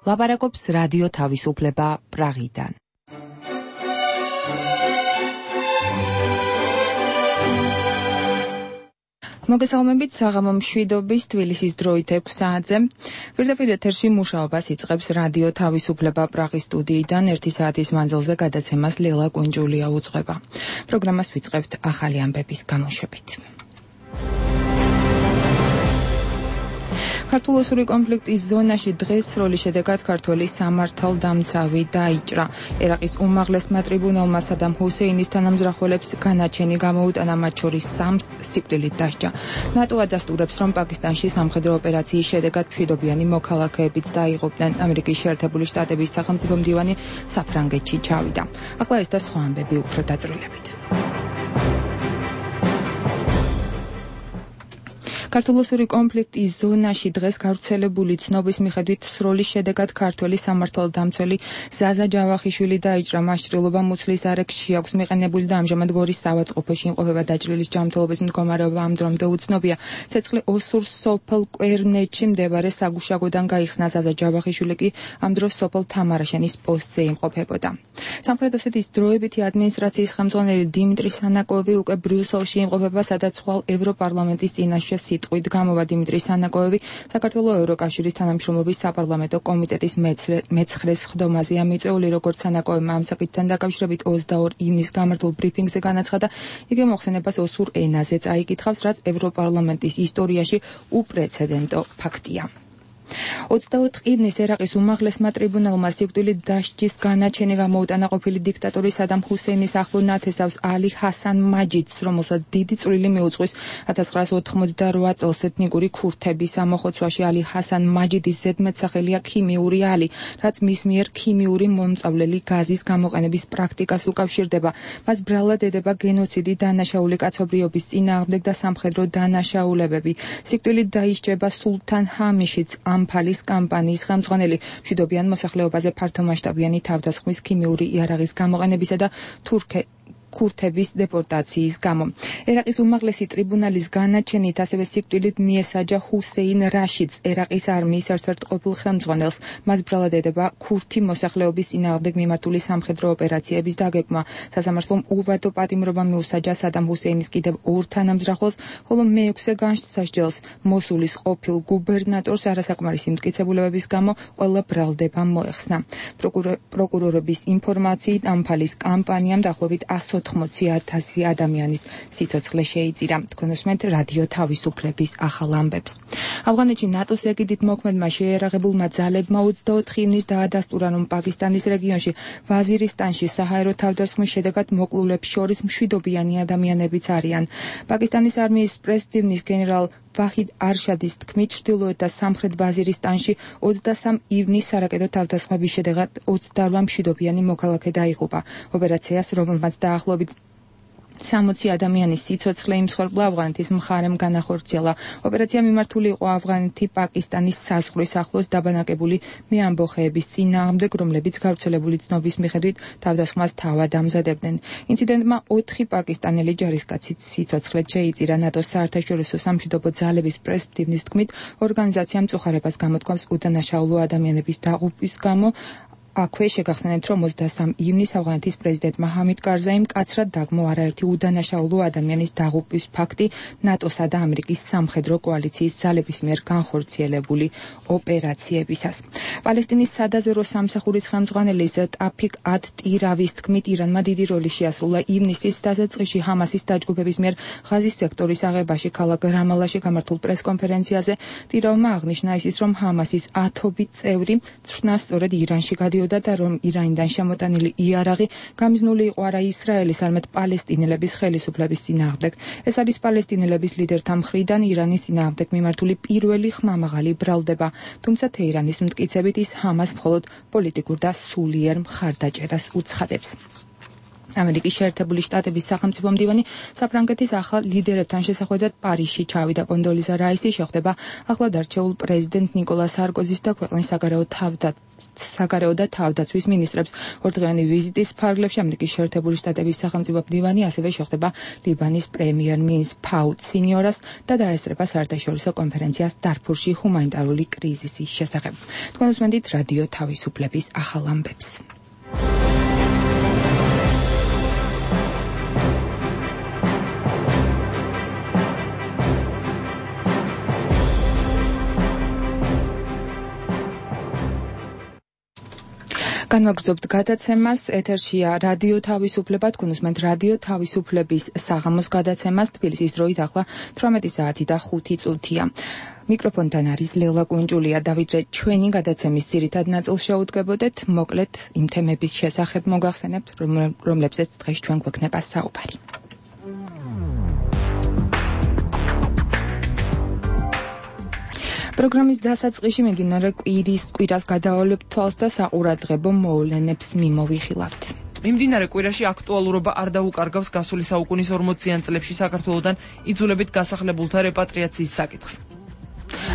ლაპარაკობს რადიო თავისუფლება პრაღიდან. მოგესალმებით საღამო მშვიდობის თბილისის დროით 6 საათზე. პირდაპირ ეთერში მუშაობას იწყებს რადიო თავისუფლება პრაღის სტუდიიდან 1 საათის მანძილზე გადაცემას ლელა კუნჯულია უძღვება. პროგრამას ვიწყებთ ახალი ამბების გამოშვებით. ქართულ-ოსური კონფლიქტის ზონაში დღეს სროლის შედეგად ქართველი სამართალდამცავი დაიჭრა. ერაყის უმაღლესმა ტრიბუნალმა სადამ ჰუსეინის თანამძრახველებს განაჩენი გამოუტანა, მათ შორის 3-ს სიკვდილით დასჯა. ნატო ადასტურებს, რომ პაკისტანში სამხედრო ოპერაციის შედეგად მშვიდობიანი მოქალაქეებიც დაიღუპნენ. ამერიკის შეერთებული შტატების სახელმწიფო მდივანი საფრანგეთში ჩავიდა. ახლა ეს და სხვა ამბები უფრო დაწვრილებით. ქართულ-ოსური კონფლიქტის ზონაში დღეს გავრცელებული ცნობის მიხედვით სროლის შედეგად ქართველი სამართალდამცველი ზაზა ჯავახიშვილი დაიჭრა. მას ჭრილობა მუცლის არეკში აქვს მიყენებული და ამჟამად გორის საავადმყოფოში იმყოფება. დაჭრილის ჯანმრთელობის მდგომარეობა ამ დრომდე უცნობია. ცეცხლი ოსურ სოფელ კვერნეთში მდებარე საგუშაგოდან გაიხსნა. ზაზა ჯავახიშვილი კი ამ დროს სოფელ თამარაშენის პოსტზე იმყოფებოდა. სამხრეთ ოსეთის დროებითი ადმინისტრაციის ხელმძღვანელი დიმიტრი სანაკოევი უკვე ბრიუსელში იმყოფება, სადაც ხვალ ევროპარლამენტის წინაშე სიტყვით გამოვა. დიმიტრი სანაკოევი საქართველოს ევროკავშირის თანამშრომლობის საპარლამენტო კომიტეტის მეცხრე სხდომაზეა მიწვეული. როგორც სანაკოევმა ამ საკითხთან დაკავშირებით 22 ივნისს გამართულ ბრიფინგზე განაცხადა, იგი მოხსენებას ოსურ ენაზე წაიკითხავს, რაც ევროპარლამენტის ისტორიაში უპრეცედენტო ფაქტია. 24 ივნისს ერაყის უმაღლესმა ტრიბუნალმა სიკვდილით დასჯის განაჩენი გამოუტანა ყოფილი დიქტატორი სადამ ჰუსეინის ახლო ნათესავს ალი ჰასან მაჯიდს, რომელსაც დიდი წვლილი მიუძღვის 1988 წელს ეთნიკური ქურთების ამოხოცვაში. ალი ჰასან მაჯიდის ზედმეტსახელია ქიმიური ალი, რაც მის მიერ ქიმიური მომწავლელი გაზის გამოყენების პრაქტიკას უკავშირდება. მას ბრალად ედება გენოციდი, დანაშაული კაცობრიობის წინააღმდეგ და სამხედრო დანაშაულებები. სიკვდილით დაისჯება სულთან ჰამიშიც, ამფალის კამპანიის ხელმძღვანელი, მშვიდობიან მოსახლეობაზე ფართომასშტაბიანი თავდასხმის, ქიმიური იარაღის გამოყენებისა და ქურთების დეპორტაციის გამო. ერაყის უმაღლესი ტრიბუნალის განაჩენით ასევე სიკვდილით მიესაჯა ჰუსეინ რაშიდს, ერაყის არმიის ერთ-ერთ ყოფილ ხელმძღვანელს. მას ბრალად ედება ქურთი მოსახლეობის წინააღმდეგ მიმართული სამხედრო ოპერაციების დაგეგმა. სასამართლომ უვადო პატიმრობა მიუსაჯა სადამ ჰუსეინის კიდევ 2 თანამძრახველს, ხოლო მე-6 განსასჯელს მოსულის ყოფილ გუბერნატორს არასაკმარისი მტკიცებულებების გამო ყველა ბრალდება მოეხსნა. პროკურორების ინფორმაციით ამფალის კამპანიამ დაახლოებით 180,000 ადამიანის სიცოცხლე შეიწირა. თქვენ უსმენთ რადიო თავისუფლების ახალ ამბებს. ავღანეთში ნატოს ეგიდით მოქმედმა შეიარაღებულმა ძალებმა 24 ივნისს დაადასტურა, რომ პაკისტანის რეგიონში ვაზირისტანში საჰაერო თავდასხმის შედეგად მოკლულებს შორის მშვიდობიანი ადამიანებიც არიან. პაკისტანის არმიის პრეზიდენტის გენერალ ვაჰიდ არშადის თქმით, ჩრდილოეთ და სამხრეთ ვაზირისტანში 23 ივნისს სარაკეტო თავდასხმების შედეგად 28 მშვიდობიანი მოქალაქე დაიღუპა. ოპერაციას, რომელმაც დაახლოებით 60 ადამიანის სიცოცხლე იმსხვერპლა, ავღანეთის მხარემ განახორციელა. ოპერაცია მიმართული იყო ავღანეთი-პაკისტანის საზღვრის ახლოს დაბანაკებული მეამბოხეების წინააღმდეგ, რომლებიც გავრცელებული ცნობის მიხედვით თავდასხმას თავად ამზადებდნენ. ინციდენტმა 4 პაკისტანელი ჯარისკაცის სიცოცხლე შეიწირა. ნატოს საერთაშორისო სამშვიდობო ძალების პრეზიდენტის თქმით, ორგანიზაცია მწუხარებას გამოთქვამს უდანაშაულო ადამიანების დაღუპვის გამო. აქვე შეგახსენებთ, რომ 23 ივნისს ავღანეთის პრეზიდენტმა ჰამიდ კარზაიმ მკაცრად დაგმო არაერთი უდანაშაულო ადამიანის დაღუპვის ფაქტი ნატოსა და ამერიკის სამხედრო კოალიციის ძალების მიერ განხორციელებული ოპერაციებისას. პალესტინის სადაზვერო სამსახურის ხელმძღვანელი ტაფიკ ად-ტირავის თქმით, ირანმა დიდი როლი შეასრულა ივნისის დასაწყისში ჰამასის დაჯგუფების მიერ ღაზის სექტორის აღებაში. ქალაქ რამალაში გამართულ პრესკონფერენციაზე ტირავმა აღნიშნა ისიც, რომ ჰამასის 10 წევრი ცხრნა სწორედ ირანში გადიოდა და რომ ირანიდან შემოტანილი იარაღი გამიზნული იყო არა ისრაელის, არამედ პალესტინელების ხელისუფლების წინააღმდეგ. ეს არის პალესტინელების ლიდერთა მხრიდან ირანის წინააღმდეგ მიმართული პირველი ხმამაღალი ბრალდება. თუმცა თეირანის მტკიცებით ის ჰამას მხოლოდ პოლიტიკურ და სულიერ მხარდაჭერას უცხადებს. ამერიკის შეერთებული შტატების სახელმწიფო მდივანი საფრანგეთის ახალ ლიდერებთან შესახვედრად პარიზში ჩავიდა. კონდოლიზა რაისი შეხვდება ახლად არჩეულ პრეზიდენტ ნიკოლა სარკოზის და ქვეყნის საგარეო და თავდაცვის მინისტრებს. ორდღიანი ვიზიტის ფარგლებში ამერიკის შეერთებული შტატების სახელმწიფო მდივანი ასევე შეხვდება ლიბანის პრემიერ-მინისტრ ფაუდ სინიორას და დაესწრება საერთაშორისო კონფერენციას დარფურში ჰუმანიტარული კრიზისის შესახებ. თქვენ უსმენთ რადიო თავისუფლების ახალ ამბებს. განვაგრძობთ გადაცემას, ეთერშია რადიო თავისუფლება, თქვენ უსმენთ რადიო თავისუფლების საღამოს გადაცემას, თბილისის დროით ახლა 18 საათი და 5 წუთია. მიკროფონთან არის ლელა კუნჯულია. დავიდრე, ჩვენი გადაცემის ძირითად ნაწილს შეუდგებოდეთ, მოკლედ იმ თემების შესახებ მოგახსენებთ, რომლებზეც დღეს ჩვენ გვექნება საუბარი. პროგრამის დასაწყისში მიმდინარე კვირას გადავავალებთ თვალს და საყურადღებო მოვლენებს მიმოვიხილავთ. მიმდინარე კვირაში აქტუალურობა არ დაუკარგავს გასული საუკუნის 40-იან წლებში საქართველოდან იძულებით გასახლებულთა რეპატრიაციის საკითხს.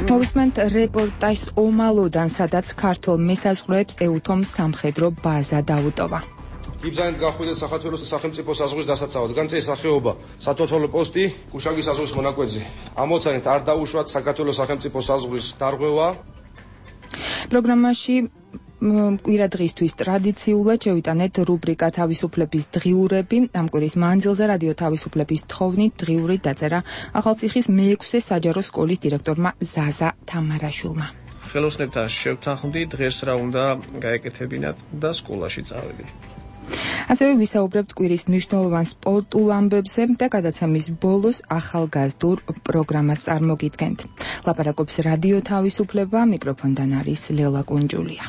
მოვისმენთ რეპორტაჟს ომალოდან, სადაც ქართულ მესაზღვრეებს ეუთომ სამხედრო ბაზა დაუტოვა. იბრძანეთ გახვიდეთ საქართველოს სახელმწიფო საზღვრის დასაცავად. განწეს სახეობა სათვალთვალო პოსტი კუშაგის საზღვრის მონაკვეთზე. ამოცანით არ დაუშვათ საქართველოს სახელმწიფო საზღვრის დარღვევა. პროგრამაში კვირა დღისთვის ტრადიციულად შევიტანეთ რუბრიკა თავისუფლების დღიურები. ამ კვირის მანძილზე რადიო თავისუფლების თხოვნით დღიური დაწერა ახალციხის მე-6 საჯარო სკოლის დირექტორმა ზაზა თამარაშვილმა. ხელოსნებთან შევთანხმდი დღეს რა უნდა გაეკეთებინათ და სკოლაში წავედი. ასევე ვისაუბრებთ კვირის მნიშვნელოვან სპორტულ ამბებზე და გადაცემის ბოლოს ახალგაზრდულ პროგრამას წარმოგიდგენთ. ლაპარაკობს რადიო თავისუფლება, მიკროფონთან არის ლელა კუნჯულია.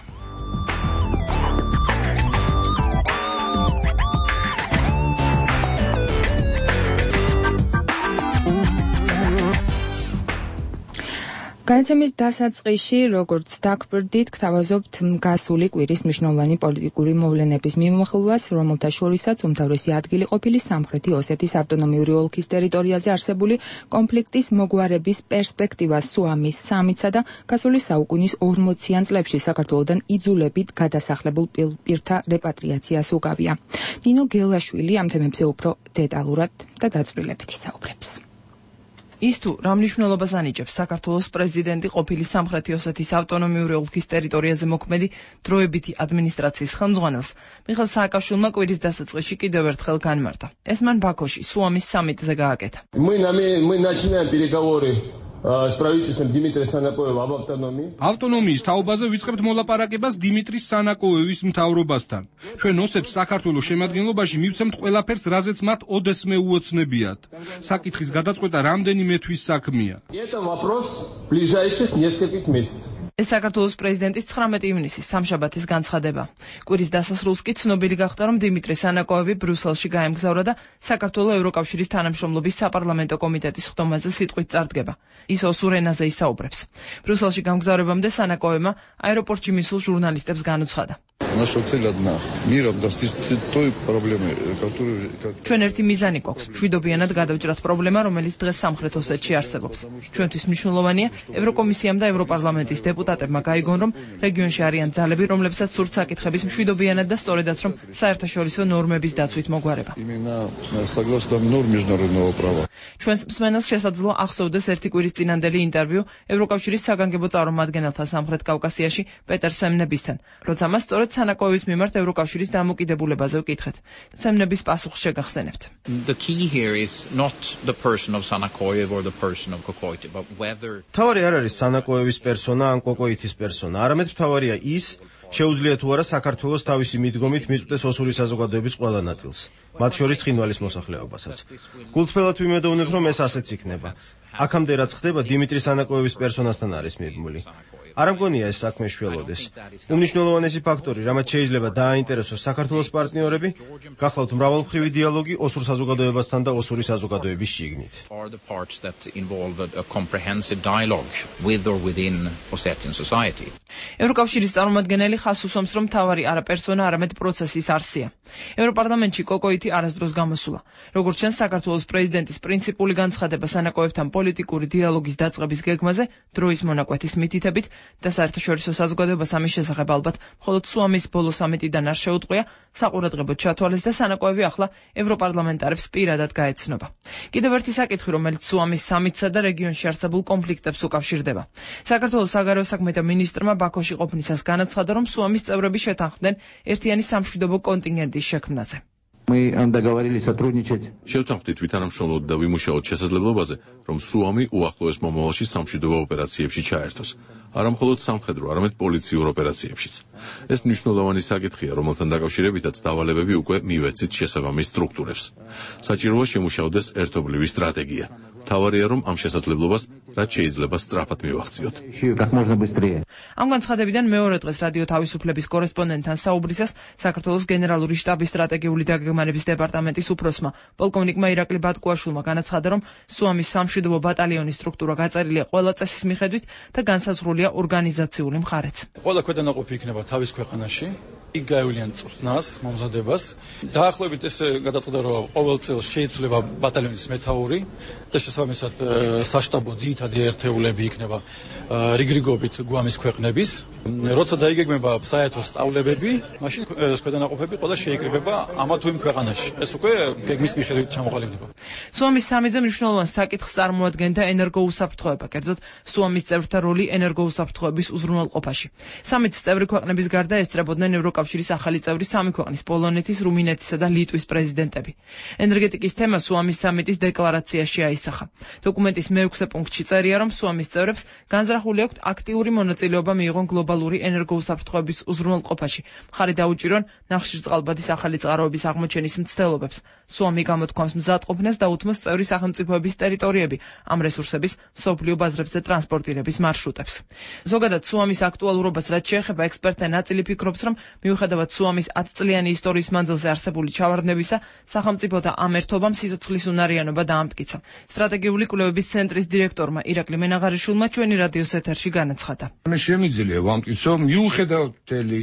გადაცემის დასაწყისში, როგორც დაგვრდით, გთავაზობთ გასული კვირის მნიშვნელოვანი პოლიტიკური მოვლენების მიმოხილვას, რომელთა შორისაც უმთავრესი ადგილი ყოფილი სამხრეთი ოსეთის ავტონომიური ოლქის ტერიტორიაზე არსებული კონფლიქტის მოგვარების პერსპექტივა სუამის სამიტსა და გასული საუკუნის 40-იან წლებში საქართველოდან იძულებით გადასახლებულ პირთა რეპატრიაციას უკავია. ნინო გელაშვილი ამ თემებზე უფრო დეტალურად და დაწვრილებით ისაუბრებს. ის თუ რა მნიშვნელობას ანიჭებს საქართველოს პრეზიდენტი ყოფილი სამხრეთი ოსეთის ავტონომიური ოლქის ტერიტორიაზე მოქმედი დროებითი ადმინისტრაციის ხელმძღვანელს, მიხეილ სააკაშვილმა კვირის დასაწყისში კიდევ ერთხელ განმარტა. ეს მან ბაქოში სუამის სამიტზე გააკეთა. Мы начинаем переговоры с правительством Дмитрия Санакоева об автономии. ავტონომიის თაობაზე ვიწყებთ მოლაპარაკებას დიმიტრი სანაკოევის მთავრობასთან. ჩვენ ოსებს საქართველოს შემადგენლობაში მივცემთ ყველაფერს, რაზეც მათ ოდესმე უოცნებიათ. საკითხის გადაწყვეტა რამდენიმე თვის საქმეა. Это вопрос ближайших нескольких месяцев. ეს საქართველოს პრეზიდენტის 19 ივნისის სამშაბათის განცხადება. კვირის დასასრულს კი ცნობილი გახდა, რომ დიმიტრი სანაკოევი ბრიუსელში გაემგზავრა და საქართველოს ევროკავშირის თანამშრომლობის საპარლამენტო კომიტეტის ხდომაზე სიტყვით წარდგება. ის osur ენაზე ისაუბრებს. ბრიუსელში გამგზავრებამდე სანაკოევმა აეროპორტში მისულ ჟურნალისტებს განუცხადა. Наша цель одна – миром достичь той проблемы, которую... ჩვენ ერთი მიზანი გვაქვს, მშვიდობიანად გადავჭრათ პრობლემა, რომელიც დღეს სამხრეთ ოსეთში არსებობს. ჩვენთვის მნიშვნელოვანია ევროკომისიამ და ევროპარლამენტის დეპუტატებმა გაიგონ, რომ რეგიონში არიან ძალები, რომლებსაც სურთ საკითხების მშვიდობიანად და სწორედაც რომ საერთაშორისო ნორმების დაცვით მოგვარება. Именно согласно норм международного права. ჩვენს მსმენელს შესაძლოა ახსოვდეს ერთი კვირის წინანდელი ინტერვიუ ევროკავშირის საგანგებო წარმომადგენელთა სამხრეთ კავკასიაში პეტერ სემნებისთან, როცა მას სწორედ სანაკოევის მიმართ ევროკავშირის დამოკიდებულებაზე ვკითხეთ. სემნების პასუხს შეგახსენებთ. The key here is not the person of Sanakoyev or the person of Kokoiti, but whether თავარი არ არის სანაკოევის პერსონა ან კოკოითის პერსონა, არამედ თავარია ის, შეუძლია თუ არა საქართველოს თავისი მიდგომით მიწვდეს ოსური საზოგადოების ყველა ნაწილს. მათ შორის ცხინვალის მოსახლეობასაც. გულწრფელად ვიმედოვნებ, რომ ეს ასეც იქნება. აქამდე რაც ხდება, დიმიტრი სანაკოევის პერსონასთან არის მიბმული. არ მგონია ეს საქმე შველოდეს. უმნიშვნელოვანესი ფაქტორი, რამაც შეიძლება დააინტერესოს საქართველოს პარტნიორები, გახლავთ მრავალმხრივი დიალოგი ოსურ საზოგადოებასთან და ოსური საზოგადოების შიგნით. ევროკავშირის წარმომადგენელი ხაზს უსვამს, რომ მთავარი არა პერსონა, არამედ პროცესის არსია. ევროპარლამენტში კოკოიტი არასდროს გამოსულა. როგორც ჩანს, საქართველოს პრეზიდენტის პრინციპული განცხადება სანაკოევთან პოლიტიკური დიალოგის დაწყების გეგმაზე დროის მონაკვეთის მითითებით და საერთაშორისო საზოგადოებას ამის შესახებ ალბათ მხოლოდ სუამის ბოლო სამიტიდან არ შეუტყვია, საყურადღებოდ ჩათვალეს და სანაკოევი ახლა ევროპარლამენტარებს პირადად გაეცნობა. კიდევ ერთი საკითხი, რომელიც სუამის სამიტსა და რეგიონში არსებულ კონფლიქტებს უკავშირდება. საქართველოს საგარეო საქმეთა მინისტრმა ბაქოში ყოფნისას განაცხადა, რომ სუამის წევრები შეთანხმდნენ ერთიანი სამშვიდობო კონტინგენტის შექმნაზე. შევთანხმდით ვითანამშრომლოთ და ვიმუშაოთ შესაძლებლობაზე, რომ სუამი უახლოეს მომავალში სამშვიდობო ოპერაციებში ჩაერთოს. არა მხოლოდ სამხედრო, არამედ პოლიციურ ოპერაციებშიც. ეს მნიშვნელოვანი საკითხია, რომელთან დაკავშირებითაც დავალებები უკვე მივეცით შესაბამის სტრუქტურებს. საჭიროა შემუშავდეს ერთობლივი სტრატეგია. მთავარია, რომ ამ შესაძლებლობას რაც შეიძლება სწრაფად მივახციოთ. ამ განცხადებიდან მეორე დღეს რადიო თავისუფლების კორესპონდენტთან საუბრისას საქართველოს გენერალური შტაბის სტრატეგიული დაგეგმარების დეპარტამენტის უფროსმა პოლკოვნიკმა ირაკლი ბატკუაშვილმა განაცხადა, რომ სუამის სამშვიდობო ბატალიონის სტრუქტურა გაწერილია ყველა წესის მიხედვით და განსაზღვრულია ორგანიზაციული მხარეც. ყველა ქვედანაყოფი იქნება თავის ქვეყანაში. იქ გაევლიან წვრთნას, მომზადებას. დაახლოებით ეს გადაწყვეტა, რომ ყოველ წელს შეიძლება ბატალიონის მეთაური და შესაბამისად საშტაბო ძირითადი ერთეულები იქნება რიგრიგობით გვამის ქვეყნების. როცა დაიგეგმება საერთო სწავლებები, მაშინ ქვედანაყოფები ყველა შეიკრიბება ამა თუ იმ ქვეყანაში. ეს უკვე გეგმის მიხედვით ჩამოყალიბდება. სუამის სამიტზე მნიშვნელოვან საკითხს წარმოადგენდა ენერგოუსაფრთხოება, კერძოდ სუამის წევრთა როლი ენერგოუსაფრთხოების უზრუნველყოფაში. სამიტის წევრი ქვეყნების გარდა ესწრებოდნენ ევროკავშირის ახალი წევრი სამი ქვეყნის პოლონეთის, რუმინეთისა და ლიტვის პრეზიდენტები. ენერგეტიკის თემა სუამის სამიტის დეკლარაციაში აისახა. დოკუმენტის მე-6 პუნქტში წერია, რომ სუამის წევრებს განზრახული აქვთ აქტიური მონაწილეობა მიიღონ გლობალური ენერგოუსაფრთხოების უზრუნველყოფაში. მხარი დაუჭირონ ნახშირწყალბადის ახალი წყაროების აღმოჩენის მცდელობებს. სუამი გამოთქვამს მზადყოფნას და უთმოს წევრი სახელმწიფოების ტერიტორიები ამ რესურსების მსოფლიო ბაზრებზე ტრანსპორტირების მარშრუტებს. ზოგადად სუამის აქტუალურობას რაც შეეხება, ექსპერტთა ნაწილი ფიქრობს, რომ მიუხედავად სუამის 10 წლიანი ისტორიის მანძილზე არსებული ჩავარდნებისა, სახელმწიფოთა ამ ერთობამ სიცოცხლის უნარიანობა დაამტკიცა. სტრატეგიული კვლევების ცენტრის დირექტორმა ირაკლი მენაღარიშვილმა ჩვენი რადიოს ეთერში განაცხადა. შემიძლია ვამტკიცო, მიუხედავად მთელი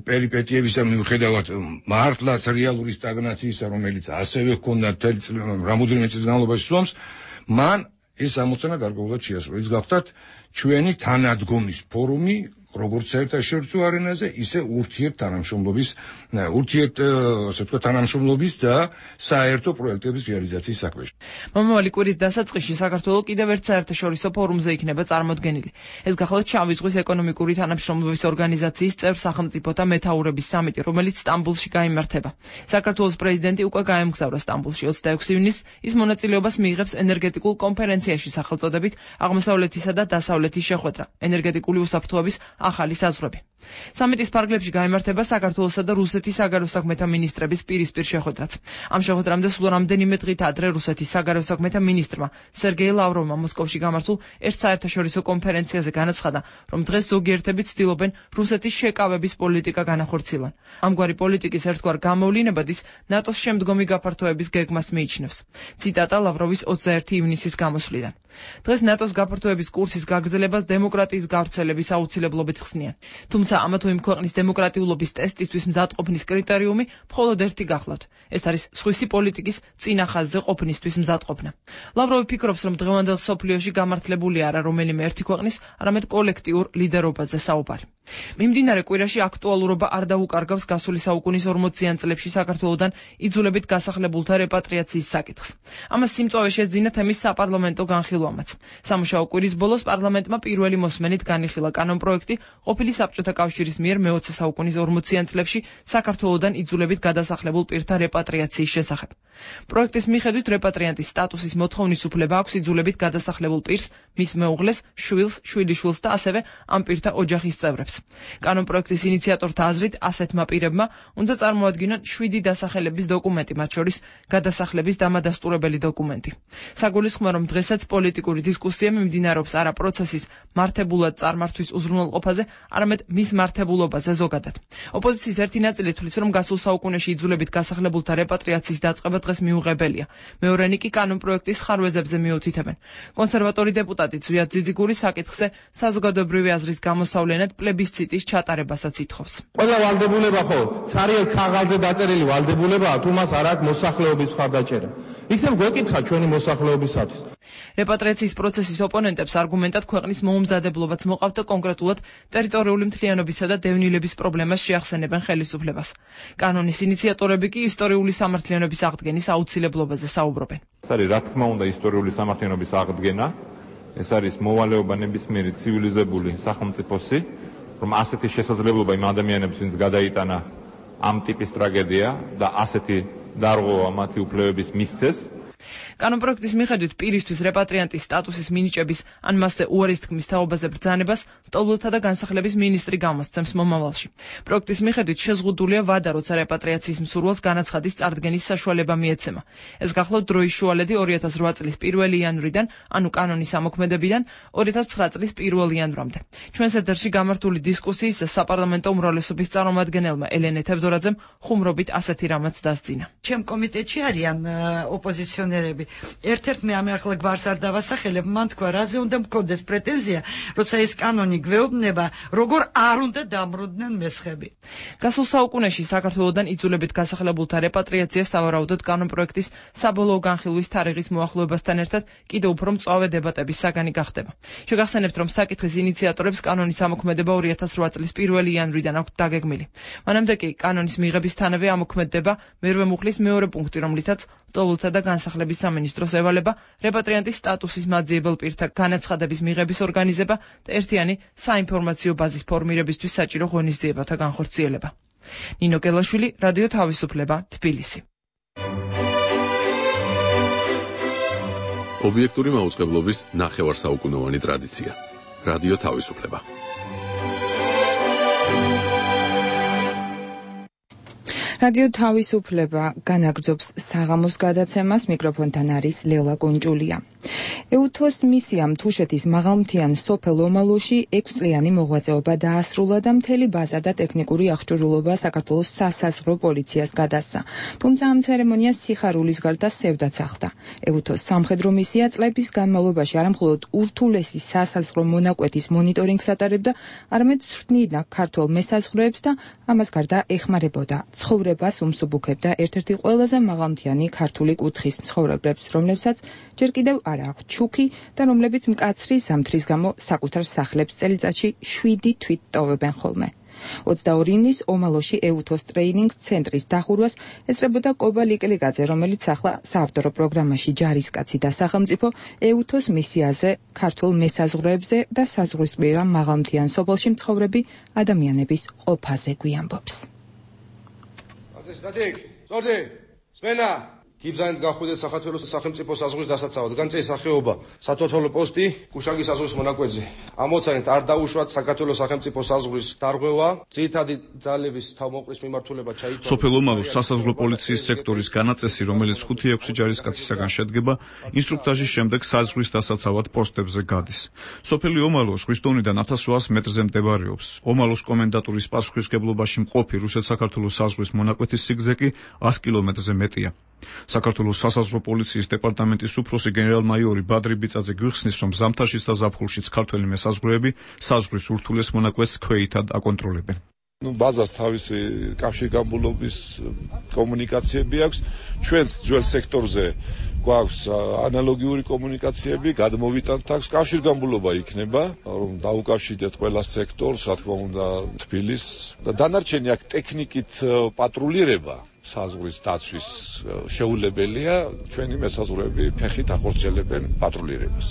პერიპეტიების და მიუხედავად მართლაც რეალური სტაგნაციისა, რომელიც ასევე ჰქონდა მთელი რამოდენიმე წლის განმავლობაში სუამს, მან ეს ამოცანა გარკვეულად შეასრულა. ის გახდათ ჩვენი თანადგომის ფორუმი, როგორც საერთაშორისო არენაზე, ისე ურთიერთთანამშრომლობის და საერთო პროექტების რეალიზაციის საქმეში. მომავალი კვირის დასაწყისში საქართველო კიდევ ერთ საერთაშორისო ფორუმზე იქნება წარმოდგენილი. ეს გახლავთ შავი ზღვის ეკონომიკური თანამშრომლობის ორგანიზაციის წევრ სახელმწიფოთა მეთაურების სამიტი, რომელიც სტამბულში გაიმართება. საქართველოს პრეზიდენტი უკვე გაემგზავრა სტამბულში 26 ივნისს. ის მონაწილეობას მიიღებს ენერგეტიკულ კონფერენციაში სახელწოდებით აღმოსავლეთისა და დასავლეთის შეხვედრა, ენერგეტიკული უსაფრთხოების ახალი საზღვრები. სამიტის ფარგლებში გაიმართება საქართველოსა და რუსეთის საგარეო საქმეთა მინისტრების პირისპირ შეხვედრაც. ამ შეხვედრამდე სულ რამდენიმე დღით ადრე რუსეთის საგარეო საქმეთა მინისტრმა სერგეი ლავროვმა მოსკოვში გამართულ ერთ საერთაშორისო კონფერენციაზე განაცხადა, რომ დღეს ზოგიერთები ცდილობენ რუსეთის შეკავების პოლიტიკა განახორციელონ. ამგვარი პოლიტიკის ერთგვარ გამოვლინებად ის ნატოს შემდგომი გაფართოების გეგმას მიიჩნევს. ციტატა ლავროვის 21 ივნისის გამოსვლიდან. დღეს ნატოს გაფართოების კურსის გაგრძელებას დემოკრატიის გავრცელების აუცილებლობით ხსნიან. თუმცა ამა თუ იმ ქვეყნის დემოკრატიულობის ტესტისთვის მზადყოფნის კრიტერიუმი მხოლოდ ერთი გახლავთ. ეს არის სხვისი პოლიტიკის წინა ხაზზე ყოფნისთვის მზადყოფნა. ლავროვი ფიქრობს, რომ დღევანდელ სოფლიოში გამართლებული არა რომელიმე ერთი ქვეყნის, არამედ კოლექტიურ ლიდერობაზე საუბარი. მიმდინარე კვირაში აქტუალურობა არ დაუკარგავს გასული საუკუნის 40-იან წლებში საქართველოდან იძულებით გასახლებულთა რეპატრიაციის საკითხს. ამას სიმწვავე შეძინა თემის საპარლამენტო განხილვამაც. სამუშაო კვირის ბოლოს პარლამენტმა პირველი მოსმენით განიხილა კანონპროექტი ყოფილი საბჭოთა კავშირის მიერ მე-20 საუკუნის 40-იან წლებში საქართველოსდან იძულებით გადასახლებულ პირთა რეპატრიაციის შესახებ. პროექტის მიხედვით რეპატრიანტის სტატუსის მოთხოვნის უფლება აქვს იძულებით გადასახლებულ პირს, მის მეუღლეს, შვილს, შვილიშვილს და ასევე ამ პირთა ოჯახის წევრებს. კანონპროექტის ინიციატორთა აზრით, ასეთმა პირებმა უნდა წარმოადგინონ 7 დასახელების დოკუმენტი, მათ შორის გადასახლების დამადასტურებელი დოკუმენტი. საგულისხმოა, რომ დღესაც პოლიტიკური დისკუსია მიმდინარეობს არა პროცესის მართებულად წარმართვის უზრუნველყოფაზე, არამედ მის მართებულობაზე ზოგადად. ოპოზიციის ერთი ნაწილი თვლის, რომ გასულ საუკუნეში იძულებით გასახლებულთა რეპატრიაციის დაწყება დღეს მიუღებელია. მეორენი კი კანონპროექტის ხარვეზებზე მიუთითებენ. კონსერვატორი დეპუტატი ზვიად ძიძიგური საკითხზე საზოგადოებრივი აზრის გამოსავლენად პლებისციტის ჩატარებასაც ითხოვს. ყველა ვალდებულება ხო ცარიელ ქაღალდზე დაწერილი ვალდებულებაა, თუ მას არ აქვს მოსახლეობის მხარდაჭერა. იქნებ გვეკითხა ჩვენი მოსახლეობისათვის. რეპატრიაციის პროცესის ოპონენტებს არგუმენტად ქვეყნის მოუმზადებლობაც მოყავთ და კონკრეტულად ტერიტორიული მთლიანობისა და დევნილების პრობლემას შეახსენებენ ხელისუფლებას. კანონის ინიციატორები კი ისტორიული სამართლიანობის აღდგენის აუცილებლობაზე საუბრობენ. ეს არის რა თქმა უნდა ისტორიული სამართლიანობის აღდგენა, ეს არის მოვალეობა ნებისმიერი ცივილიზებული სახელმწიფოსი, რომ ასეთი შესაძლებლობა იმ ადამიანებს, ვინც გადაიტანა ამ ტიპის ტრაგედია და ასეთი დარღვევა მათი უფლებების მისცეს. კანონპროექტის მიხედვით პირისთვის რეპატრიანტის სტატუსის მინიჭების ან მასზე უარის თქმის თაობაზე ბრძანება სტოლთა და განსახლების მინისტრი გამოსცემს მომავალში. პროექტის მიხედვით შეზღუდულია ვადა, როცა რეპატრიაციის მსურველს განაცხადის წარდგენის საშუალება მიეცემა. ეს გახლავთ დროის შუალედი 2008 წლის 1 იანვრიდან, ანუ კანონის ამოქმედებიდან 2009 წლის 1 იანვრამდე. ჩვენს ეთერში გამართული დისკუსიის საპარლამენტო უმრავლესობის წარმომადგენელმა ელენე თევდორაძემ ხუმრობით ასეთი რამაც დასძინა. ჩემ კომიტეტში არიან ოპოზიციონერები. ერთ-ერთმა ამ ახლა გვარს არ დავასახელებ, მან თქვა, რაზე უნდა მქონდეს პრეტენზია, როცა ეს კანონი გვეუბნება, როგორ არ უნდა დამროდნენ მესხები. გასულ საუკუნეში საქართველოსდან იძულებით გასახლებულთა რეპატრიაცია სავარაუდოდ კანონპროექტის საბოლოო განხილვის თარიღის მოახლოებასთან ერთად კიდევ უფრო მწვავე დებატების საგანი გახდება. შეგახსენებთ, რომ საკითხის ინიციატორებს კანონის ამოქმედება 2008 წლის 1 იანვრიდან აქვთ დაგეგმილი. მანამდე კი კანონის მიღებისთანავე ამოქმედდება მერვე მუხლის მეორე პუნქტი, რომლითაც სტოლთა და განსახლების სამინისტროს ევალება რეპატრიანტის სტატუსის მაძიებელ პირთა განაცხადების მიღების ორგანიზება და ერთიანი საინფორმაციო ბაზის ფორმირებისთვის საჭირო ღონისძიებათა განხორციელება. ნინო გელაშვილი, რადიო თავისუფლება, თბილისი. ობიექტური მაუწყებლობის ნახევარსაუკუნოვანი ტრადიცია. რადიო თავისუფლება. რადიო თავისუფლება განაგრძობს საღამოს გადაცემას, მიკროფონთან არის ლელა კონჭულია. ეუთოს მისიამ თუშეთის მაღალმთიან სოფელ ომალოში 6 წლიანი მოღვაწეობა დაასრულა და მთელი ბაზა და ტექნიკური აღჭურვილობა საქართველოს სასაზღვრო პოლიციას გადასცა. თუმცა ამ ცერემონიას სიხარულის გარდა სევდაც ახლდა. ეუთოს სამხედრო მისია წლების განმავლობაში არამხოლოდ ურთულესი სასაზღვრო მონაკვეთის მონიტორინგს ატარებდა, არამედ ცვლიდა ქართველ მესაზღვრეებს და ამას გარდა ეხმარებოდა ცხოვრებას უმსუბუქებდა ერთ-ერთი ყველაზე მაღალმთიანი ქართული კუთხის მცხოვრებლებს, რომლებსაც ჯერ კიდევ არ აქვთ ჩუქი და რომლებიც მკაცრი ზამთრის გამო საკუთარ სახლებს წელიწადში 7 თვით ტოვებენ ხოლმე. 22 ივნის ომალოში ეუთოს ტრეინინგ ცენტრის დახურვას ესწრებოდა კობა ლიკლიკაძე, რომელიც ახლა საავტორო პროგრამაში ჯარისკაცი და სახელმწიფო ეუთოს მისიაზე, ქართულ მესაზღვრეებზე და საზღვრისპირა მაღალმთიან სოფელში მცხოვრები ადამიანების ყოფაზე გვიამბობს. სტატიკ, ზორდი, სმენა. გიბზანით გახვიდეთ საქართველოს სახელმწიფო საზღვრის დასაცავად. განწეს სახეობა სათვალთვალო პოსტი კუშაგის საზღვრის მონაკვეთზე. ამოცანით არ დაუშვათ საქართველოს სახელმწიფო საზღვრის დარღვევა, ძირითადი ძალების თავმოყრის მიმართულება ჩაითვალა. სოფელ ომალოს სასაზღვრო პოლიციის სექტორის განაწესი, რომელიც 5-6 ჯარისკაცისაგან შედგება, ინსტრუქტაჟის შემდეგ საზღვრის დასაცავად პოსტებზე გადის. სოფელი ომალო ზღვის დონიდან 1800 მეტრზე მდებარეობს. ომალოს კომენდატურის პასუხისმგებლობაში მყოფი რუსეთ-საქართველოს საზღვრის მონაკვეთის სიგრძე კი 100 კილომეტრზე მეტია. საქართველოს სასაზღვრო პოლიციის დეპარტამენტის უფროსი გენერალ-მაიორი ბადრი ბიწაძე გვიხსნის, რომ ზამთარშიც და ზაფხულშიც ქართველი მესაზღვრეები საზღვრის ურთულეს მონაკვეთს ქვეითად აკონტროლებენ. ბაზას თავისი კავშირგაბმულობის კომუნიკაციები აქვს. ჩვენც ძველ სექტორზე გვაქვს ანალოგიური კომუნიკაციები, გადმოვიტანთ აქვს კავშირგაბმულობა იქნება, რომ დაუკავშირდეთ ყველა სექტორს, რა თქმა უნდა, თბილისს და დანარჩენი აქ ტექნიკით პატრულირება საზღვრის დაცვის შეუძლებელია, ჩვენი მესაზღვრეები ფეხით ახორციელებენ პატრულირებას.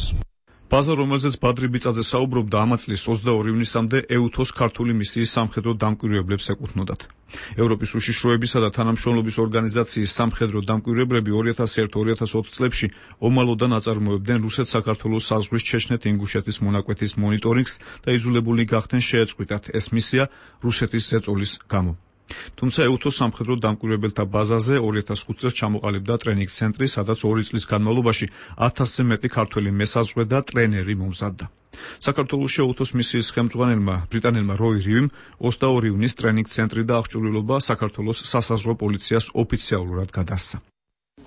ბაზა, რომელზეც ბადრი ბიწაძე საუბრობდა, ამ წლის 22 ივნისამდე EUTHOS ქართული მისიის სამხედრო დამკვირვებლებს ეკუთვნოდათ. ევროპის უშიშროებისა და თანამშრომლობის ორგანიზაციის სამხედრო დამკვირვებლები 2001-2020 წლებში ომალოდან აწარმოებდნენ რუსეთ-საქართველოს საზღვრის ჩეჩნეთ-ინგუშეთის მონაკვეთის მონიტორინგს და იძულებულნი გახდნენ შეეწყვიტათ ეს მისია რუსეთის ზეწოლის გამო. თუმცა EUTHOS სამხედრო დამკვირვებელთა ბაზაზე 2005 წელს ჩამოყალიბდა ტრენინგ ცენტრი, სადაც 2 წლის განმავლობაში 1000-ზე მეტი ქართველი მესაზღვრე და ტრენერი მომზადდა. საქართველოში EUTHOS მისიის ხელმძღვანელმა ბრიტანელმა როი რივიმ 22 ივნის ტრენინგ ცენტრი და აღჭურვილობა საქართველოს სასაზღვრო პოლიციას ოფიციალურად გადასცა.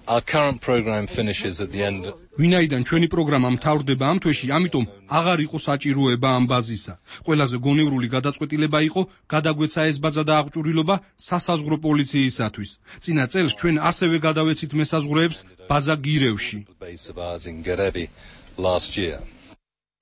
Our current program finishes at the end. ვინაიდან ჩვენი პროგრამა მთავრდება ამ თვეში, ამიტომ აღარ იყო საჭიროება ამ ბაზისა. ყველაზე გონევრული გადაწყვეტილება იყო გადაგვეცა ეს ბაზა და აღჭურვილობა სასაზღვრო პოლიციისათვის. წინა წელს ჩვენ ასევე გადავეცით მესაზღვრეებს ბაზა გირევში.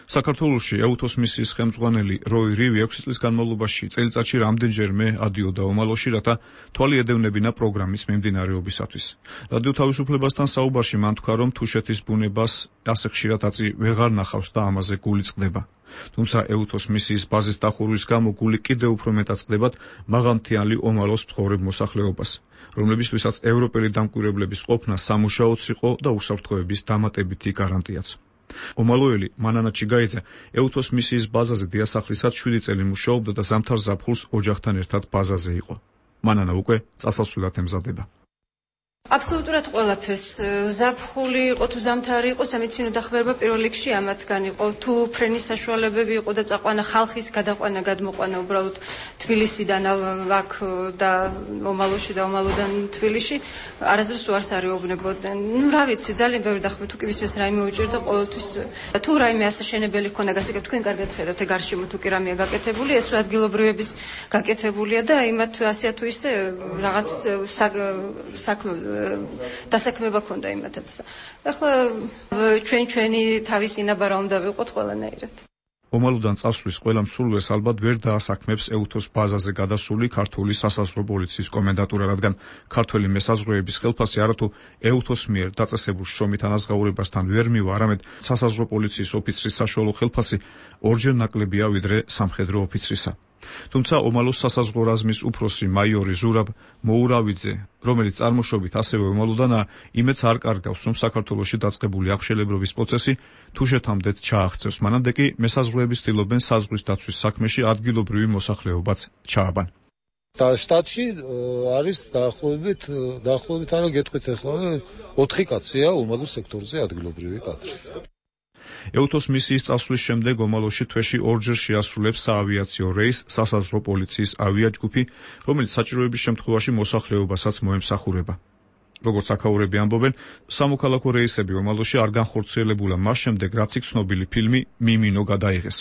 საქართველოში EUTHOS მისიის ხელმძღვანელი როი რივი 6 წლის განმავლობაში წელიწადში რამდენჯერმე ადიოდა ომალოში, რათა თვალი ედევნებინა პროგრამის მიმდინარეობისათვის. რადიო თავისუფლებასთან საუბარში მან თქვა, რომ თუშეთის ბუნებას ასე ხშირად აწი ვეღარ ნახავს და ამაზე გული წყდება. თუმცა EUTHOS მისიის ბაზის დახურვის გამო გული კიდევ უფრო მეტად წყდებათ მაღალმთიანი ომალოს მცხოვრებ მოსახლეობას, რომლებისთვისაც ევროპელი დამკვირვებლების ყოფნა სამუშაოც იყო და უსაფრთხოების დამატებითი გარანტიაც. ომალოელი მანანა ჩიგაიძე EUTHOS მისიის ბაზაზე დიასახლისად 7 წელი მუშაობდა და ზამთარ ზაფხულს ოჯახთან ერთად ბაზაზე იყო. მანანა უკვე წასასვლელად ემზადება. აბსოლუტურად ყველაფერს ზაფხული იყო თუ ზამთარი იყო სამედიცინო დახმარება პირველ რიგში ამათგან იყო თუ ფრენის საშუალებები იყო და წაყვანა ხალხის გადაყვანა გადმოყვანა უბრალოდ თბილისიდან აქ და ომალოში და ომალოდან თბილისში არასდროს უარს არეუბნებოდნენ. რა ვიცი ძალიან ბევრი დახმარება თუ კი ვისმეს რაიმე უჭირდა ყოველთვის თუ რაიმე ასაშენებელი ქონდა გასაგებ თქვენ კარგად ხედავთ ეგ გარშემო თუ კი რამეა გაკეთებული ეს ადგილობრივების გაკეთებულია და იმათ ასეა თუ ისე რაღაც საქმე დასაქმება ქონდა იმათაც და ახლა ჩვენი თავის ინაბარა უნდა ვიყოთ ყველანაირად. ომალოდან წასვლის ყველა მსურველს ალბათ ვერ დაასაქმებს EUTHOS ბაზაზე გადასული ქართული სასაზღვრო პოლიციის კომენდატურა, რადგან ქართველი მესაზღვრეების ხელფასი არათუ EUTHOS მიერ დაწესებულ შრომით ანაზღაურებასთან ვერ მივა, არამედ სასაზღვრო პოლიციის ოფიცრის საშუალო ხელფასი ორჯერ ნაკლებია ვიდრე სამხედრო ოფიცრისა. თუმცა ომალოს სასაზღვრო რაზმის უფროსი მაიორი ზურაბ მოურავიძე, რომელიც წარმოშობით ასევე ომალოდანაა, იმედს არ კარგავს, რომ საქართველოში დაწყებული აღშელებრობის პროცესი თუშეთამდე ჩააღწევს. მანამდე კი მესაზღვრეების ცდილობენ საზღვრის დაცვის საქმეში ადგილობრივი მოსახლეობაც ჩააბან. და შტატში არის დაახლოებით არა გეტყვით ახლა 4 კაცია ომალოს სექტორზე ადგილობრივი კადრი. EUTHOS მისიის წასვლის შემდეგ ომალოში თვეში ორჯერ შეასრულებს საავიაციო რეისს სასაზღვრო პოლიციის ავიაჯგუფი, რომელიც საჭიროების შემთხვევაში მოსახლეობასაც მოემსახურება. როგორც აქაურები ამბობენ, სამოქალაქო რეისები ომალოში არ განხორციელებულა მას შემდეგ, რაც იქ ცნობილი ფილმი მიმინო გადაიღეს.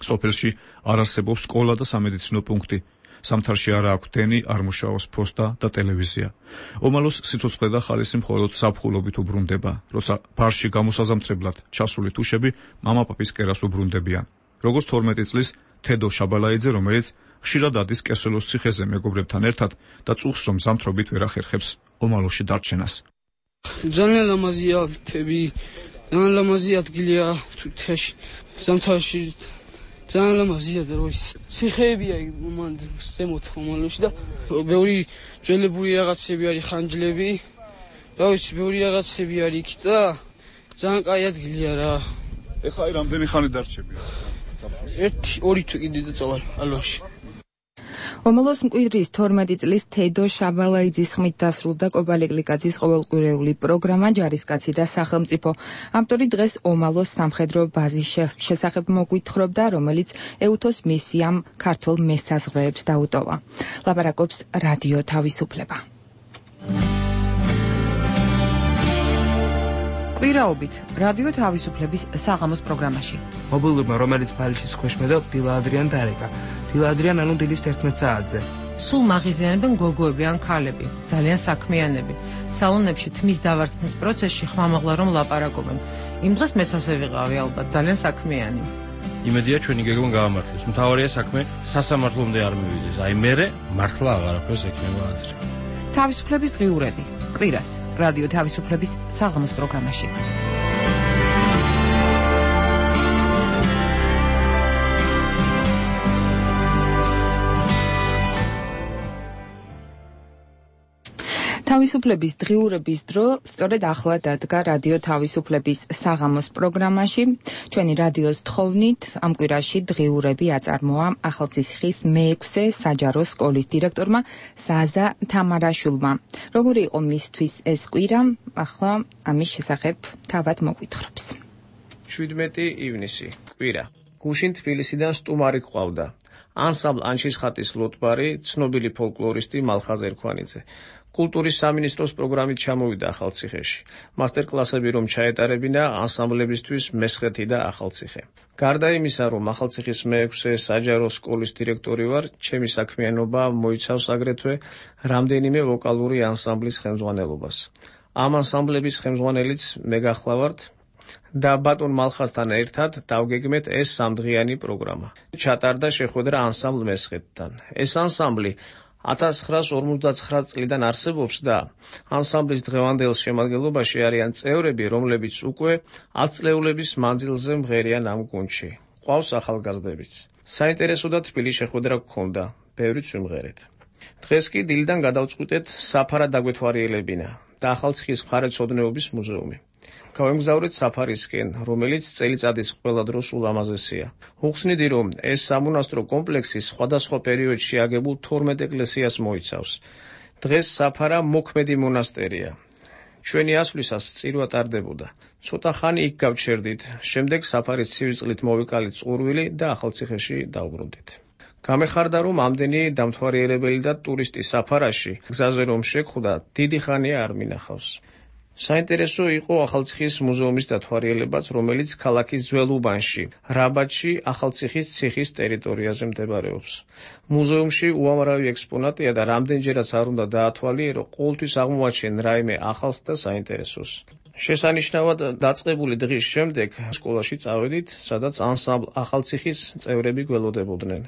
სოფელში არ არსებობს სკოლა და სამედიცინო პუნქტი. სამთარში არა აქვს დენი, არ მუშაობს ფოსტა და ტელევიზია. ომალოს სიცოცხლე და ხალისი მხოლოდ ზაფხულობით უბრუნდება, როცა ბარში გამოსაზამთრებლად ჩასული თუშები მამაპაპის კერას უბრუნდებიან. როგორც 12 წლის თედო შაბალაიძე, რომელიც ხშირად ადის კესელოს ციხეზე მეგობრებთან ერთად და წუხს რომ ზამთრობით ვერ ახერხებს ომალოში დარჩენას. ძალიან ლამაზია თები, ძალიან ლამაზი ადგილია თუთიაში, ზამთარში ძალიან ლამაზია და როის ციხეებია მომანდ ზემოთ ომალოში და ბევრი ძველებული რაღაცები არის ხანჯლები. რა ვიცი, ბევრი რაღაცები არის იქ და ძალიან კაი ადგილია რა. ეხლა აი რამდენი ხანი დარჩებია? 1-2 თვე კიდე დაწავალ ალვაში. ომალოს მკვიდრის 12 წლის თედო შაბალაიძის ხმით დასრულდა კობალეკლიკაძის ყოველკვირეული პროგრამა ჯარისკაცი და სახელმწიფო. ავტორი დღეს ომალოს სამხედრო ბაზის შესახებ მოგვითხრობდა, რომელიც EUTHOS მისიამ ქართულ მესაზღვრეებს დაუტოვა. ლაპარაკობს რადიო თავისუფლება. კვირაობით რადიო თავისუფლების საღამოს პროგრამაში. მობილურმა, რომელიც ფაილშის ქვეშ მედავ, დილა ადრიან დარეკა. დილა ადრიან ანუ დილის 11 საათზე. სულ მაღიზიანებენ გოგოები ან ქალები, ძალიან საქმიანები. სალონებში თმის დავარცხნის პროცესში ხმამაღლა რომ ლაპარაკობენ. იმ დღეს მეც ასე ვიყავი ალბათ, ძალიან საქმიანი. იმედია ჩვენი გეგმა გაამართლოს. მთავარია საქმე სასამართლომდე არ მივიდეს. აი მერე მართლა აღარაფერს ექნება აზრი. თავისუფლების დღიურები. კვირას რადიო თავისუფლების საღამოს პროგრამაში. თავისუფლების დღიურების დრო სწორედ ახლა დადგა რადიო თავისუფლების საღამოს პროგრამაში. ჩვენი რადიოს თხოვნით ამ კვირაში დღიურები აწარმოა ახალციხის მე-6 საჯარო სკოლის დირექტორმა ზაზა თამარაშვილმა. როგორი იყო მისთვის ეს კვირა? ახლა ამის შესახებ თავად მოგვითხრობს. 17 ივნისი კვირა. გუშინ თბილისიდან სტუმარი გვყავდა. ანსამბლ ანჩისხატის ლოტბარი, ცნობილი ფოლკლორისტი მალხაზ ერქვანიძე. კულტურის სამინისტროს პროგრამით ჩამოვიდა ახალციხეში. მასტერკლასები რომ ჩაეტარებინა ანსამბლებისთვის მესხეთი და ახალციხე. გარდა იმისა, რომ ახალციხის მე-6 საჯარო სკოლის დირექტორი ვარ, ჩემი საქმიანობა მოიცავს აგრეთვე რამდენიმე ვოკალური ანსამბლის ხელმძღვანელობას. ამ ანსამბლების ხელმძღვანელიც მე გახლავართ და ბატონ მალხაზთან ერთად დავგეგმეთ ეს სამდღიანი პროგრამა. ჩატარდა შეხვედრა ანსამბლ მესხეთთან. ეს ანსამბლი 1959 წლიდან არსებობს და ანსამბლის დღევანდელ შემადგენლობაში არიან წევრები, რომლებიც უკვე 10 წლეულების მანძილზე მღერიან ამ გუნდში. ყავს ახალგაზრდებიც. საინტერესო და თბილი შეხვედრა გქონდა, ბევრიც ვიმღერეთ. დღეს კი დილიდან გადავწყვიტეთ საფარად დაგვეთვალიერებინა და ახალციხის მხარეთმცოდნეობის მუზეუმი. გავემგზავრეთ საფარისკენ, რომელიც წელიწადის ყველა დროს ულამაზესია. უხსნიდი, რომ ეს სამონასტრო კომპლექსი სხვადასხვა პერიოდში აგებულ 12 ეკლესიას მოიცავს. დღეს საფარა მოქმედი მონასტერია. ჩვენი ასვლისას წირვა ტარდებოდა. ცოტა ხანი იქ გავჩერდით, შემდეგ საფარის ცივი წყლით მოვიკალით წყურვილი და ახალციხეში დავბრუნდით. გამეხარდა, რომ ამდენი დამთვალიერებელი და ტურისტი საფარაში გზაზე რომ შეგხვდა, დიდი ხანია არ მინახავს. საინტერესო იყო ახალციხის მუზეუმის დათვალიერებაც, რომელიც ქალაქის ძველ უბანში, რაბათში, ახალციხის ციხის ტერიტორიაზე მდებარეობს. მუზეუმში უამრავი ექსპონატია და რამდენჯერაც არ უნდა დაათვალიერო, ყოველთვის აღმოაჩენ რაიმე ახალს და საინტერესოს. შესანიშნავად დაწყებული დღის შემდეგ სკოლაში წავედით, სადაც ანსამბლ ახალციხის წევრები გველოდებოდნენ.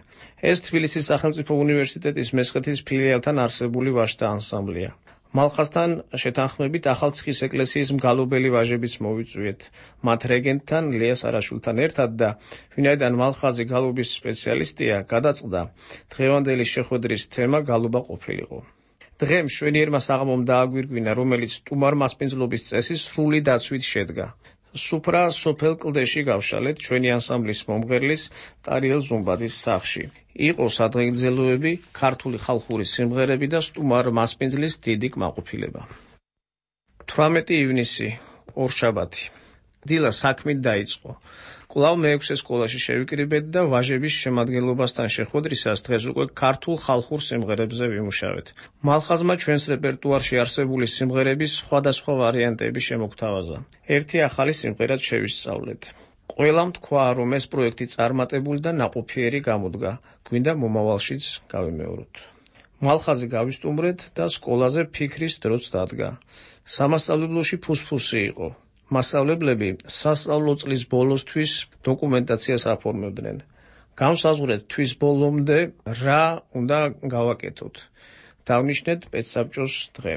ეს თბილისის სახელმწიფო უნივერსიტეტის მესხეთის ფილიალთან არსებული ვაჟთა ანსამბლია. მალხაზთან შეთანხმებით ახალციხის ეკლესიის მგალობელი ვაჟებიც მოვიწვიეთ. მათ რეგენტთან ლია სარაშვილთან ერთად და ვინაიდან მალხაზი გალობის სპეციალისტია, გადაწყდა დღევანდელი შეხვედრის თემა გალობა ყოფილიყო. დღე მშვენიერმა საღამომ დააგვირგვინა, რომელიც სტუმარ მასპინძლობის წესის სრული დაცვით შედგა. სუფრა სოფელ კლდეში გავშალეთ ჩვენი ანსამბლის მომღერლის ტარიელ ზუმბაძის სახლში. იყო სადღეგრძელოები, ქართული ხალხური სიმღერები და სტუმარ მასპინძლის დიდი კმაყოფილება. 18 ივნისი, ორშაბათი. დილა საქმით დაიწყო. კვლავ მე-6 სკოლაში შევიკრიბეთ და ვაჟების შემადგენლობასთან შეხვედრისას დღეს უკვე ქართულ ხალხურ სიმღერებზე ვიმუშავეთ. მალხაზმა ჩვენს რეპერტუარში არსებული სიმღერების სხვადასხვა ვარიანტები შემოგთავაზა. ერთი ახალი სიმღერაც შევისწავლეთ. ყველამ თქვა, რომ ეს პროექტი წარმატებული და ნაყოფიერი გამოდგა, გვინდა მომავალშიც გავიმეოროთ. მალხაზი გავისტუმრეთ და სკოლაზე ფიქრის დროც დადგა. სამასწავლებლოში ფუსფუსი იყო. მასწავლებლები სასწავლო წლის ბოლოსთვის დოკუმენტაციას აფორმებდნენ. გამსაზღვრეთ თვის ბოლომდე რა უნდა გავაკეთოთ. დავნიშნეთ პედსაბჭოს დღე.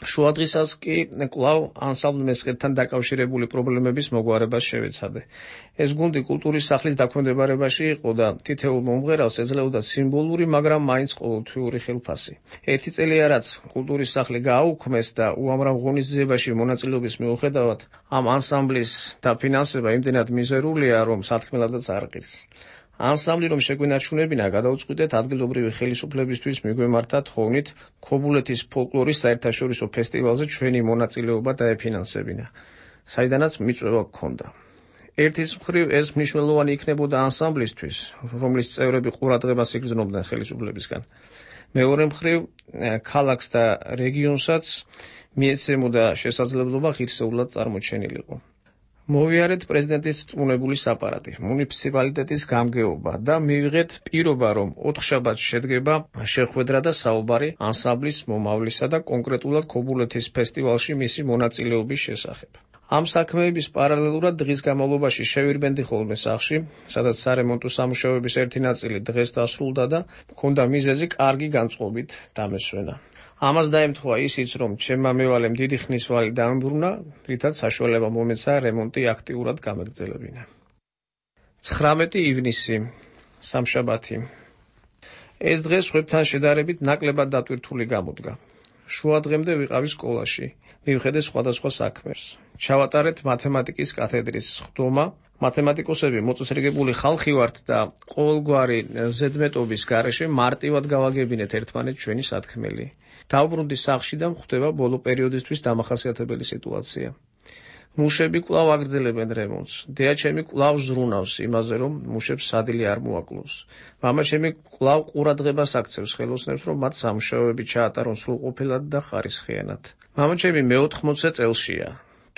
შუადღისას კი კვლავ ანსამბლ მესხეთთან დაკავშირებული პრობლემების მოგვარებას შევეცადე. ეს გუნდი კულტურის სახლის დაქვემდებარებაში იყო და თითოეულ მომღერალს ეძლეოდა სიმბოლური, მაგრამ მაინც ყოველთვიური ხელფასი. ერთი წელია რაც კულტურის სახლი გააუქმეს და უამრავ ღონისძიებაში მონაწილეობის მიუხედავად ამ ანსამბლის დაფინანსება იმდენად მიზერულია, რომ სათქმელადაც არ ღირს. ანსამბლი რომ შეგვენარჩუნებინა, გადავწყვიტეთ ადგილობრივი ხელისუფლებისთვის მიგვემართა თხოვნით ქობულეთის ფოლკლორის საერთაშორისო ფესტივალზე ჩვენი მონაწილეობა დაეფინანსებინა, საიდანაც მიწვევა გქონდა. ერთის მხრივ ეს მნიშვნელოვანი იქნებოდა ანსამბლისთვის, რომლის წევრები ყურადღებას იგრძნობდნენ ხელისუფლებისგან. მეორე მხრივ ქალაქს და რეგიონსაც მიეცემოდა შესაძლებლობა ღირსეულად წარმოჩენილიყო. მოვიარეთ პრეზიდენტის წმუნებული საპარატი, მუნიციპალიტეტის გამგეობა და მივიღეთ პირობა, რომ 4 შაბათს შედგება შეხვედრა და საუბარი ანსამბლის მომავლისა და კონკრეტულად ქობულეთის ფესტივალში მისი მონაწილეობის შესახებ. ამ საქმეების პარალელურად დღის განმავლობაში შევირბენდი ხოლმე სახლში, სადაც სარემონტო სამუშაოების ერთი ნაწილი დღეს დასრულდა და მქონდა მიზეზი კარგი განწყობით დამესვენა. ამას დაემთხვა ისიც, რომ ჩემმა მევალემ დიდი ხნის ვალი დაამბრუნა, რითაც საშუალება მომეცა რემონტი აქტიურად გამეგრძელებინა. 19 ივნისი, სამშაბათი. ეს დღე სხვებთან შედარებით ნაკლებად დატვირთული გამოდგა. შუა დღემდე ვიყავი სკოლაში, მივხედე სხვადასხვა საქმეს. ჩავატარეთ მათემატიკის კათედრის სხდომა. მათემატიკოსები მოწესრიგებული ხალხი ვართ და ყოველგვარი ზედმეტობის გარეშე მარტივად გავაგებინეთ ერთმანეთს ჩვენი სათქმელი. დავბრუნდი სახლში და მხვდება ბოლო პერიოდისთვის დამახასიათებელი სიტუაცია. მუშები კვლავ აგრძელებენ რემონტს. დეაჩემი კვლავ ზრუნავს იმაზე, რომ მუშებს სადილი არ მოაკლოს. მამაჩემი კვლავ ყურადღებას აქცევს ხელოსნებს, რომ მათ სამუშაოები ჩაატარონ სრულყოფილად და ხარისხიანად. მამაჩემი მე-80 წელშია,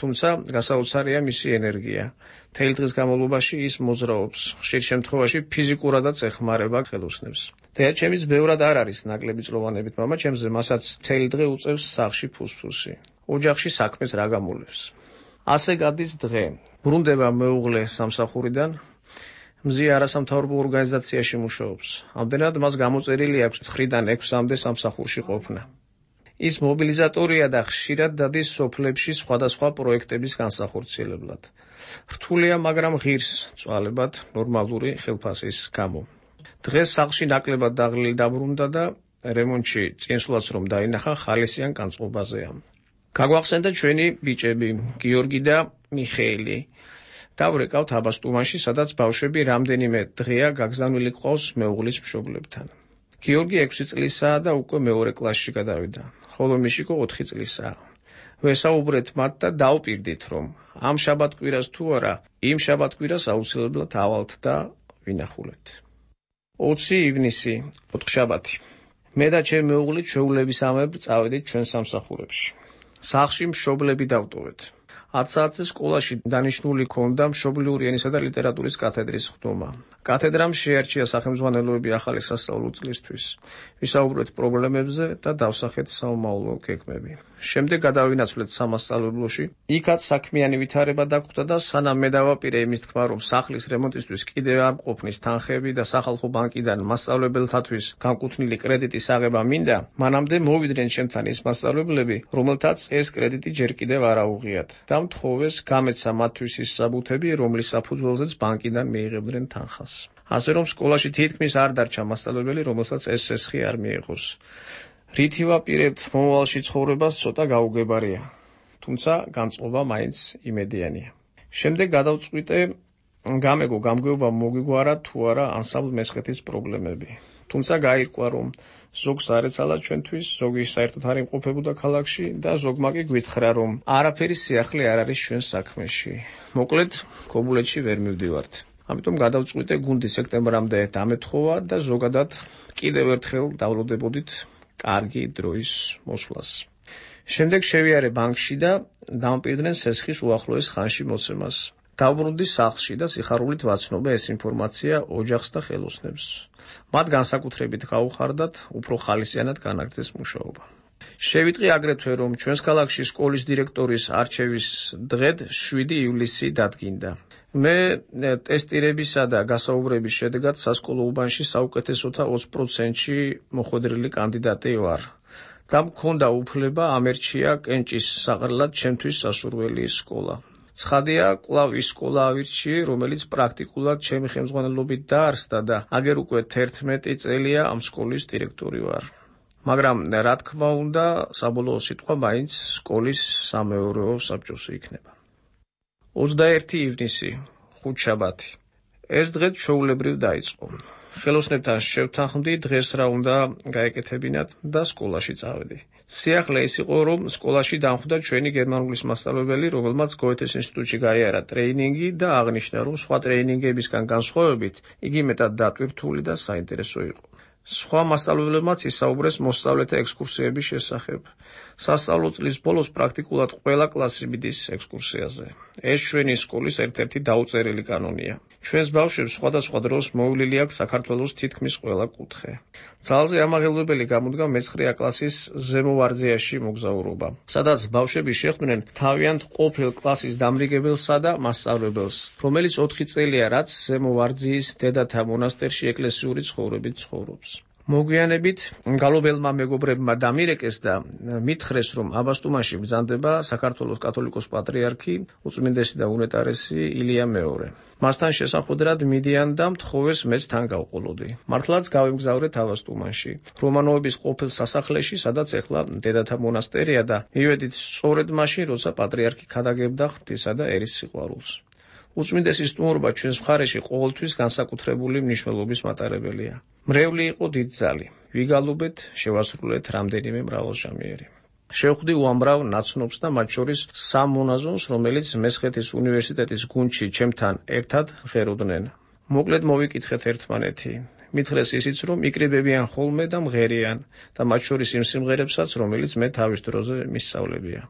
თუმცა გასაოცარია მისი ენერგია. მთელი დღის განმავლობაში ის მოძრაობს, ხშირ შემთხვევაში ფიზიკურადაც ეხმარება ხელოსნებს. დეაჩემის ბევრად არ არის ნაკლები წლოვანებით მამაჩემზე, მასაც მთელი დღე უწევს სახლში ფუსფუსი. ოჯახში საქმეს რა გამულევს. ასე გადის დღე. ბრუნდება მეუღლე სამსახურიდან, მზი არასამთავრობო ორგანიზაციაში მუშაობს. ამდენად მას გამოწერილი აქვს 9-დან 6-მდე სამსახურში ყოფნა. ის მობილიზატორია და ხშირად დადის სოფლებში სხვადასხვა პროექტების განსახორციელებლად. რთულია, მაგრამ ღირს წვალებად ნორმალური ხელფასის გამო. დღეს სახლში ნაკლებად დაღლილი დაბრუნდა და რემონტში წინსვლაც რომ დაინახა ხალისიან განწყობაზეა. გაგვახსენდა ჩვენი ბიჭები, გიორგი და მიხეილი. დავრეკავთ აბასტუმანში, სადაც ბავშვები რამდენიმე დღეა გაგზავნილი ყავს მეუღლის მშობლებთან. გიორგი 6 წლისაა და უკვე მეორე კლასში გადავიდა, ხოლო მიშიკო 4 წლისაა. ვესაუბრეთ მათ და დავპირდით, რომ ამ შაბათკვირას თუ არა, იმ შაბათკვირას აუცილებლად ავალთ და ვინახულეთ. 20 ივნისი, ოთხშაბათი. მე და ჩემი მეუღლე ჩვეულებისამებრ წავედით ჩვენ სამსახურებში. სახლში მშობლები დავტოვეთ. 10 საათზე სკოლაში დანიშნული ქონდა მშობლიური ენისა და ლიტერატურის კათედრის სხდომა. კათედრამ შეარჩია სახელმძღვანელოები ახალი სასწავლო წლისთვის. ვისაუბრეთ პრობლემებზე და დავსახეთ საომავლო გეგმები. შემდეგ გადავინაცვლეთ სამასწავლებლოში. იქაც საქმიანი ვითარება დაგვხვდა და სანამ მე დავაპირე იმის თქმა, რომ სახლის რემონტისთვის კიდევ არ მყოფნის თანხები და სახალხო ბანკიდან მასწავლებელთათვის განკუთვნილი კრედიტის აღება მინდა, მანამდე მოვიდნენ ჩემთან ის მასწავლებლები, რომელთაც ეს კრედიტი ჯერ კიდევ არ აუღიათ. და მთხოვეს გამეცა მათთვის ის საბუთები, რომლის საფუძველზეც ბანკიდან მიიღებდნენ თანხას. ასე რომ სკოლაში თითქმის არ დარჩა მასწავლებელი, რომელსაც ეს სესხი არ მიიღოს. რითი ვაპირებთ მომავალში ცხოვრებას ცოტა გაუგებარია, თუმცა განწყობა მაინც იმედიანია. შემდეგ გადავწყვიტე გამეგო გამგეობა მოგვიგვარა თუ არა ანსამბლ მესხეთის პრობლემები. თუმცა გაირკვა, რომ ზოგს არ ეცალა ჩვენთვის, ზოგი საერთოდ არ იმყოფებოდა ქალაქში და ზოგმა კი გვითხრა, რომ არაფერი სიახლე არ არის ჩვენ საქმეში. მოკლედ, ქობულეთში ვერ მივდივართ. ამიტომ გადავწყვიტე გუნდი სექტემბრამდე დამეთხოვა და ზოგადად კიდევ ერთხელ დავროდებოდით კარგი დროის მოსვლას. შემდეგ შევიარე ბანკში და დამპირდნენ სესხის უახლოეს ხანში მოცემას. დავბრუნდი სახლში და სიხარულით ვაცნობე ეს ინფორმაცია ოჯახს და ხელოსნებს. მათ განსაკუთრებით გაუხარდათ უფრო ხალისიანად განაგრძეს მუშაობა. შევიტყვი აგრეთვე, რომ ჩვენს ქალაქში სკოლის დირექტორის არჩევის დღედ 7 ივლისი დადგინდა. მე ტესტირებისა და გასაუბრების შედეგად სასკოლო უბანში საუკეთესოთა 20%-ში მოხვედრილი კანდიდატი ვარ და მქონდა უფლება ამერჩია კენჭის საყრელად ჩემთვის სასურველი სკოლა. ცხადია, კვლავ ის სკოლა ავირჩიე, რომელიც პრაქტიკულად ჩემი ხელმძღვანელობით დაარსდა და აგერ უკვე 11 წელია ამ სკოლის დირექტორი ვარ. მაგრამ რა თქმა უნდა, საბოლოო სიტყვა მაინც სკოლის სამეურვეო საბჭოსი იქნება. 21 ივნისი, ხუთშაბათი. ეს დღე ჩვეულებრივ დაიწყო. ხელოსნებთან შევთანხმდი დღეს რა უნდა გაეკეთებინათ და სკოლაში წავედი. სიახლე ის იყო, რომ სკოლაში დამხვდა ჩვენი გერმანულის მასწავლებელი, რომელმაც გოეთეს ინსტიტუტში გაიარა ტრეინინგი და აღნიშნა, რომ სხვა ტრეინინგებისგან განსხვავებით იგი მეტად დატვირთული და საინტერესო იყო. სხვა მასწავლებლებმაც ისაუბრეს მოსწავლეთა ექსკურსიების შესახებ. სასწავლო წლის ბოლოს პრაქტიკულად ყველა კლასი მიდის ექსკურსიაზე. ეს ჩვენი სკოლის ერთ-ერთი დაუწერელი კანონია. ჩვენს ბავშვებს სხვადასხვა დროს მოვლილი აქვს საქართველოს თითქმის ყველა კუთხე. ძალზე ამაღელვებელი გამოდგა მე-9 კლასის ზემო ვარძიაში მოგზაურობა, სადაც ბავშვები შეხვდნენ თავიანთ ყოფილ კლასის დამრიგებელსა და მასწავლებელს, რომელიც 4 წელია, რაც ზემო ვარძიის დედათა მონასტერში ეკლესიური ცხოვრებით ცხოვრობს. მოგვიანებით გალობელმა მეგობრებმა დამირეკეს და მითხრეს, რომ აბასტუმანში ბრძანდება საქართველოს კათოლიკოს პატრიარქი უწმინდესი და უნეტარესი ილია მეორე. მასთან შესახვედრად მიდიან და მთხოვეს მეც თან გავყოლოდი. მართლაც გავემგზავრეთ აბასტუმანში, რომანოვების ყოფილ სასახლეში, სადაც ეხლა დედათა მონასტერია და მივედით სწორედ მაშინ, როცა პატრიარქი ქადაგებდა ღვთისა და ერის სიყვარულს. უწმინდესის სტუმრობა ჩვენს მხარეში ყოველთვის განსაკუთრებული მნიშვნელობის მატარებელია. მრევლი იყო დიდძალი. ვიგალობეთ, შევასრულეთ რამდენიმე მრავალჟამიერი. შევხვდი უამრავ ნაცნობს და მათ შორის სამ მონაზონს, რომელიც მესხეთის უნივერსიტეტის გუნდში ჩემთან ერთად ღეროდნენ. მოკლედ მოვიკითხეთ ერთმანეთი. მითხრეს ისიც, რომ იკრიბებიან ხოლმე და მღერიან და მათ შორის იმ სიმღერებსაც, რომელიც მე თავის დროზე მისწავლებია.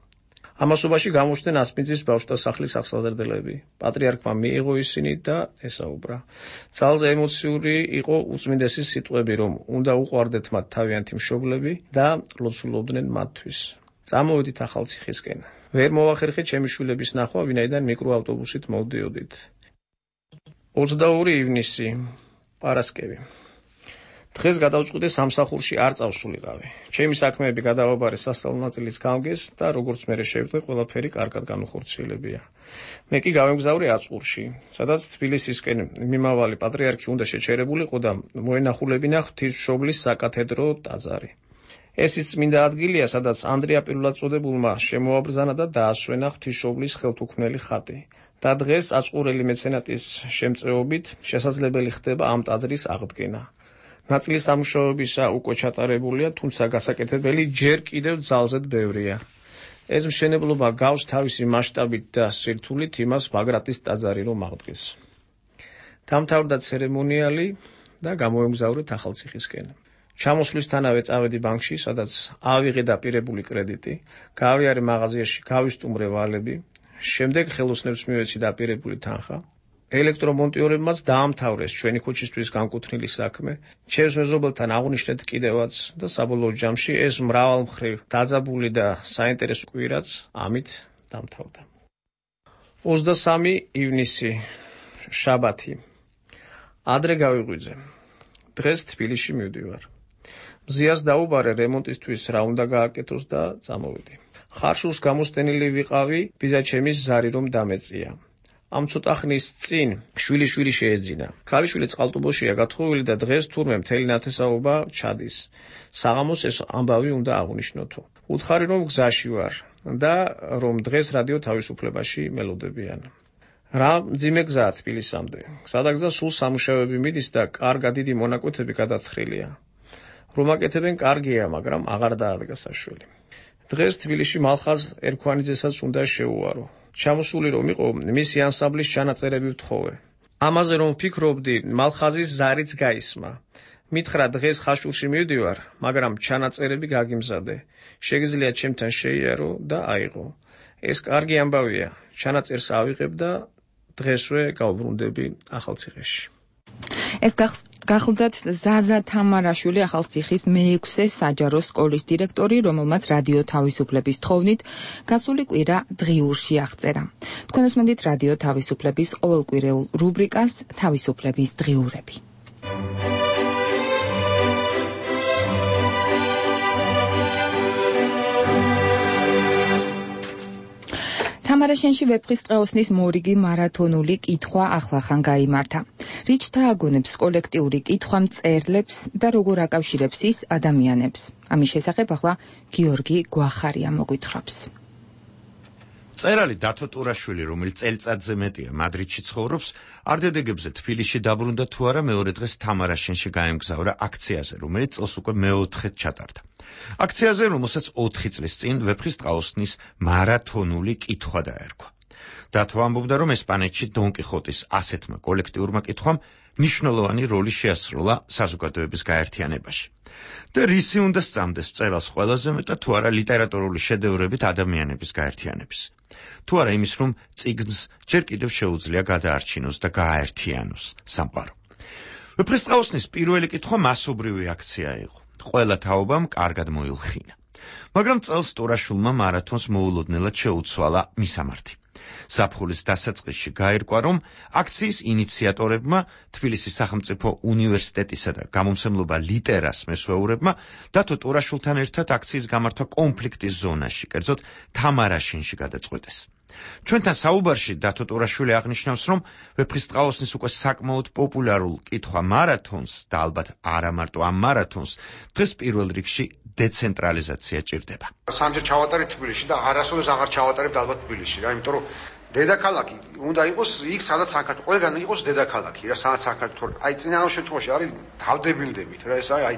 ამასობაში გამოჩნდნენ ასპინძის ბავშვთა სახლის აღსაზრდელები. პატრიარქმა მიიღო ისინი და ესაუბრა. ძალზე ემოციური იყო უწმინდესის სიტყვები, რომ უნდა უყვარდეთ მათ თავიანთი მშობლები და ლოცულობდნენ მათთვის. წამოვედით ახალციხისკენ. ვერ მოვახერხეთ ჩემი შვილების ნახვა, ვინაიდან მიკროავტობუსით მოვდიოდით. 22 ივნისი, პარასკევი. დღეს გადავწყვიტე სამსახურში არ წავსულიყავი. ჩემი საქმეები გადავაბარე სასწავლო ნაწილის გამგეს და როგორც მე შევხვდე, ყველაფერი კარგად განუხორციელებია. მე კი გავემგზავრე აწყურში, სადაც თბილისისკენ მიმავალი პატრიარქი უნდა შეჩერებულიყო და მოენახულებინა ღვთისმშობლის საკათედრო ტაძარი. ეს ის წმინდა ადგილია, სადაც ანდრია პირველად წოდებულმა შემოაბრძანა და დაასვენა ღვთისმშობლის ხელთუქმნელი ხატი. და დღეს აწყურელი მეცენატის შემწეობით შესაძლებელი ხდება ამ ტაძრის აღდგენა. ნაწილი სამუშაოებისა უკვე ჩატარებულია, თუმცა გასაკეთებელი ჯერ კიდევ ძალზედ ბევრია. ეს მშენებლობა გავს თავისი მასშტაბით და სირთულით იმას ბაგრატის ტაძარი რომ აღდგეს. დამთავრდა ცერემონიალი და გამოვემგზავრეთ ახალციხისკენ. ჩამოსვლისთანავე წავედი ბანკში, სადაც ავიღე დაპირებული კრედიტი, გავიარე მაღაზიაში, გავისტუმრე ვალები, შემდეგ ხელოსნებს მივეცი დაპირებული თანხა. ელექტრომონტიორებმაც დაამთავრეს ჩვენი ქუჩისთვის განკუთვნილი საქმე, ჩემს მეზობელთან აღვნიშნეთ კიდევაც და საბოლოო ჯამში ეს მრავალმხრივ დაძაბული და საინტერესო კვირაც ამით დამთავრდა. 23 ივნისი, შაბათი. ადრე გავიღვიძე. დღეს თბილისში მივდივარ. მზიას დაუბარე რემონტისთვის რა უნდა გააკეთოს და წამოვიდი. ხარშულს გამოსტენილი ვიყავი, ბიძაჩემის ზარი რომ დამეწია. ამ ცოტა ხნის წინ შვილი შეეძინა. ქალიშვილი წყალტუბოშია გათხოვილი და დღეს თურმე მთელი ნათესაობა ჩადის. საღამოს ეს ამბავი უნდა აღვნიშნოთო. უთხარი რომ გზაში ვარ და რომ დღეს რადიო თავისუფლებაში მელოდებიან. რა მძიმე გზაა თბილისამდე. გზადაგზა სულ სამუშაოები მიდის და კარგა დიდი მონაკვეთები გადათხრილია. რომ აკეთებენ კარგია, მაგრამ აღარ დაადგა საშველი. დღეს თბილისში მალხაზ ერქვანიძესაც უნდა შეუვარო. ჩამოსული რომ იყო მისი ანსამბლის ჩანაწერები ვთხოვე. ამაზე რომ ვფიქრობდი, მალხაზის ზარიც გაისმა. მითხრა დღეს ხაშურში მივდივარ, მაგრამ ჩანაწერები გაგიმზადე. შეგიძლია ჩემთან შეიარო და აიღო. ეს კარგი ამბავია. ჩანაწერს ავიღებ და დღესვე გავბრუნდები ახალციხეში. ეს გახლდათ ზაზა თამარაშვილი, ახალციხის მე-6 საჯარო სკოლის დირექტორი, რომელმაც რადიო თავისუფლების თხოვნით გასული კვირა დღიურში აღწერა. თქვენ უსმენთ რადიო თავისუფლების ყოველკვირეულ რუბრიკას თავისუფლების დღიურები. თამარაშენში ვეფხის ტყეოსნის მორიგი მარათონული კითხვა ახლახან გაიმართა. რიჩთა აგონებს კოლექტიური კითხვა მწერლებს და როგორ აკავშირებს ის ადამიანებს. ამის შესახებ ახლა გიორგი გვახარია მოგვითხრობს. მწერალი დათო ტურაშვილი, რომელიც წელიწადზე მეტია მადრიდში ცხოვრობს, არდედეგებზე თბილისში დაბრუნდა თუ არა მეორე დღეს თამარაშენში გაემგზავრა აქციაზე, რომელიც წელს უკვე მეოთხედ ჩატარდა. აქციაზე, რომელსაც 4 წლის წინ ვეფხის ტყეოსნის მარათონული კითხვა დაერქვა. დათო ამბობდა, რომ ესპანეთში დონ კიხოტის ასეთმა კოლექტიურმა კითხვამ მნიშვნელოვანი როლი შეასრულა საზოგადოების გაერთიანებაში. და რისი უნდა სწამდეს მწერალს ყველაზე მეტად თუ არა ლიტერატურული შედევრებით ადამიანების გაერთიანების. თუ არა იმის, რომ წიგნს ჯერ კიდევ შეუძლია გადაარჩინოს და გააერთიანოს სამყარო. ვეფხის ტყეოსნის პირველი კითხვა მასობრივი აქცია იყო. ყველა თაობამ კარგად მოილხინა. მაგრამ წელს ტურაშვილმა მარათონს მოულოდნელად შეუცვალა მისამართი. ზაფხულის დასაწყისში გაირკვა, რომ აქციის ინიციატორებმა, თბილისის სახელმწიფო უნივერსიტეტისა და გამომცემლობა ლიტერას მესვეურებმა დათო ტურაშულთან ერთად აქციის გამართვა კონფლიქტის ზონაში, კერძოდ თამარაშენში გადაწყვეტეს. ჩვენთან საუბარში დათო ტურაშვილი აღნიშნავს, რომ ვეფხისტყაოსნის უკვე საკმაოდ პოპულარულ კითხვა მარათონს და ალბათ არა მარტო ამ მარათონს დღეს პირველ რიგში დეცენტრალიზაცია ჭირდება. სამჯერ ჩავატარეთ თბილისში და არასოდეს აღარ ჩავატარებთ ალბათ თბილისში რა, იმიტომ რომ დედაქალაქი უნდა იყოს იქ, სადაც საქართველოს ყველგან იყოს დედაქალაქი რა, სადაც საქართველოს აი წინააღმდეგ შემთხვევაში არის თავდებილდებით რა, ეს არის აი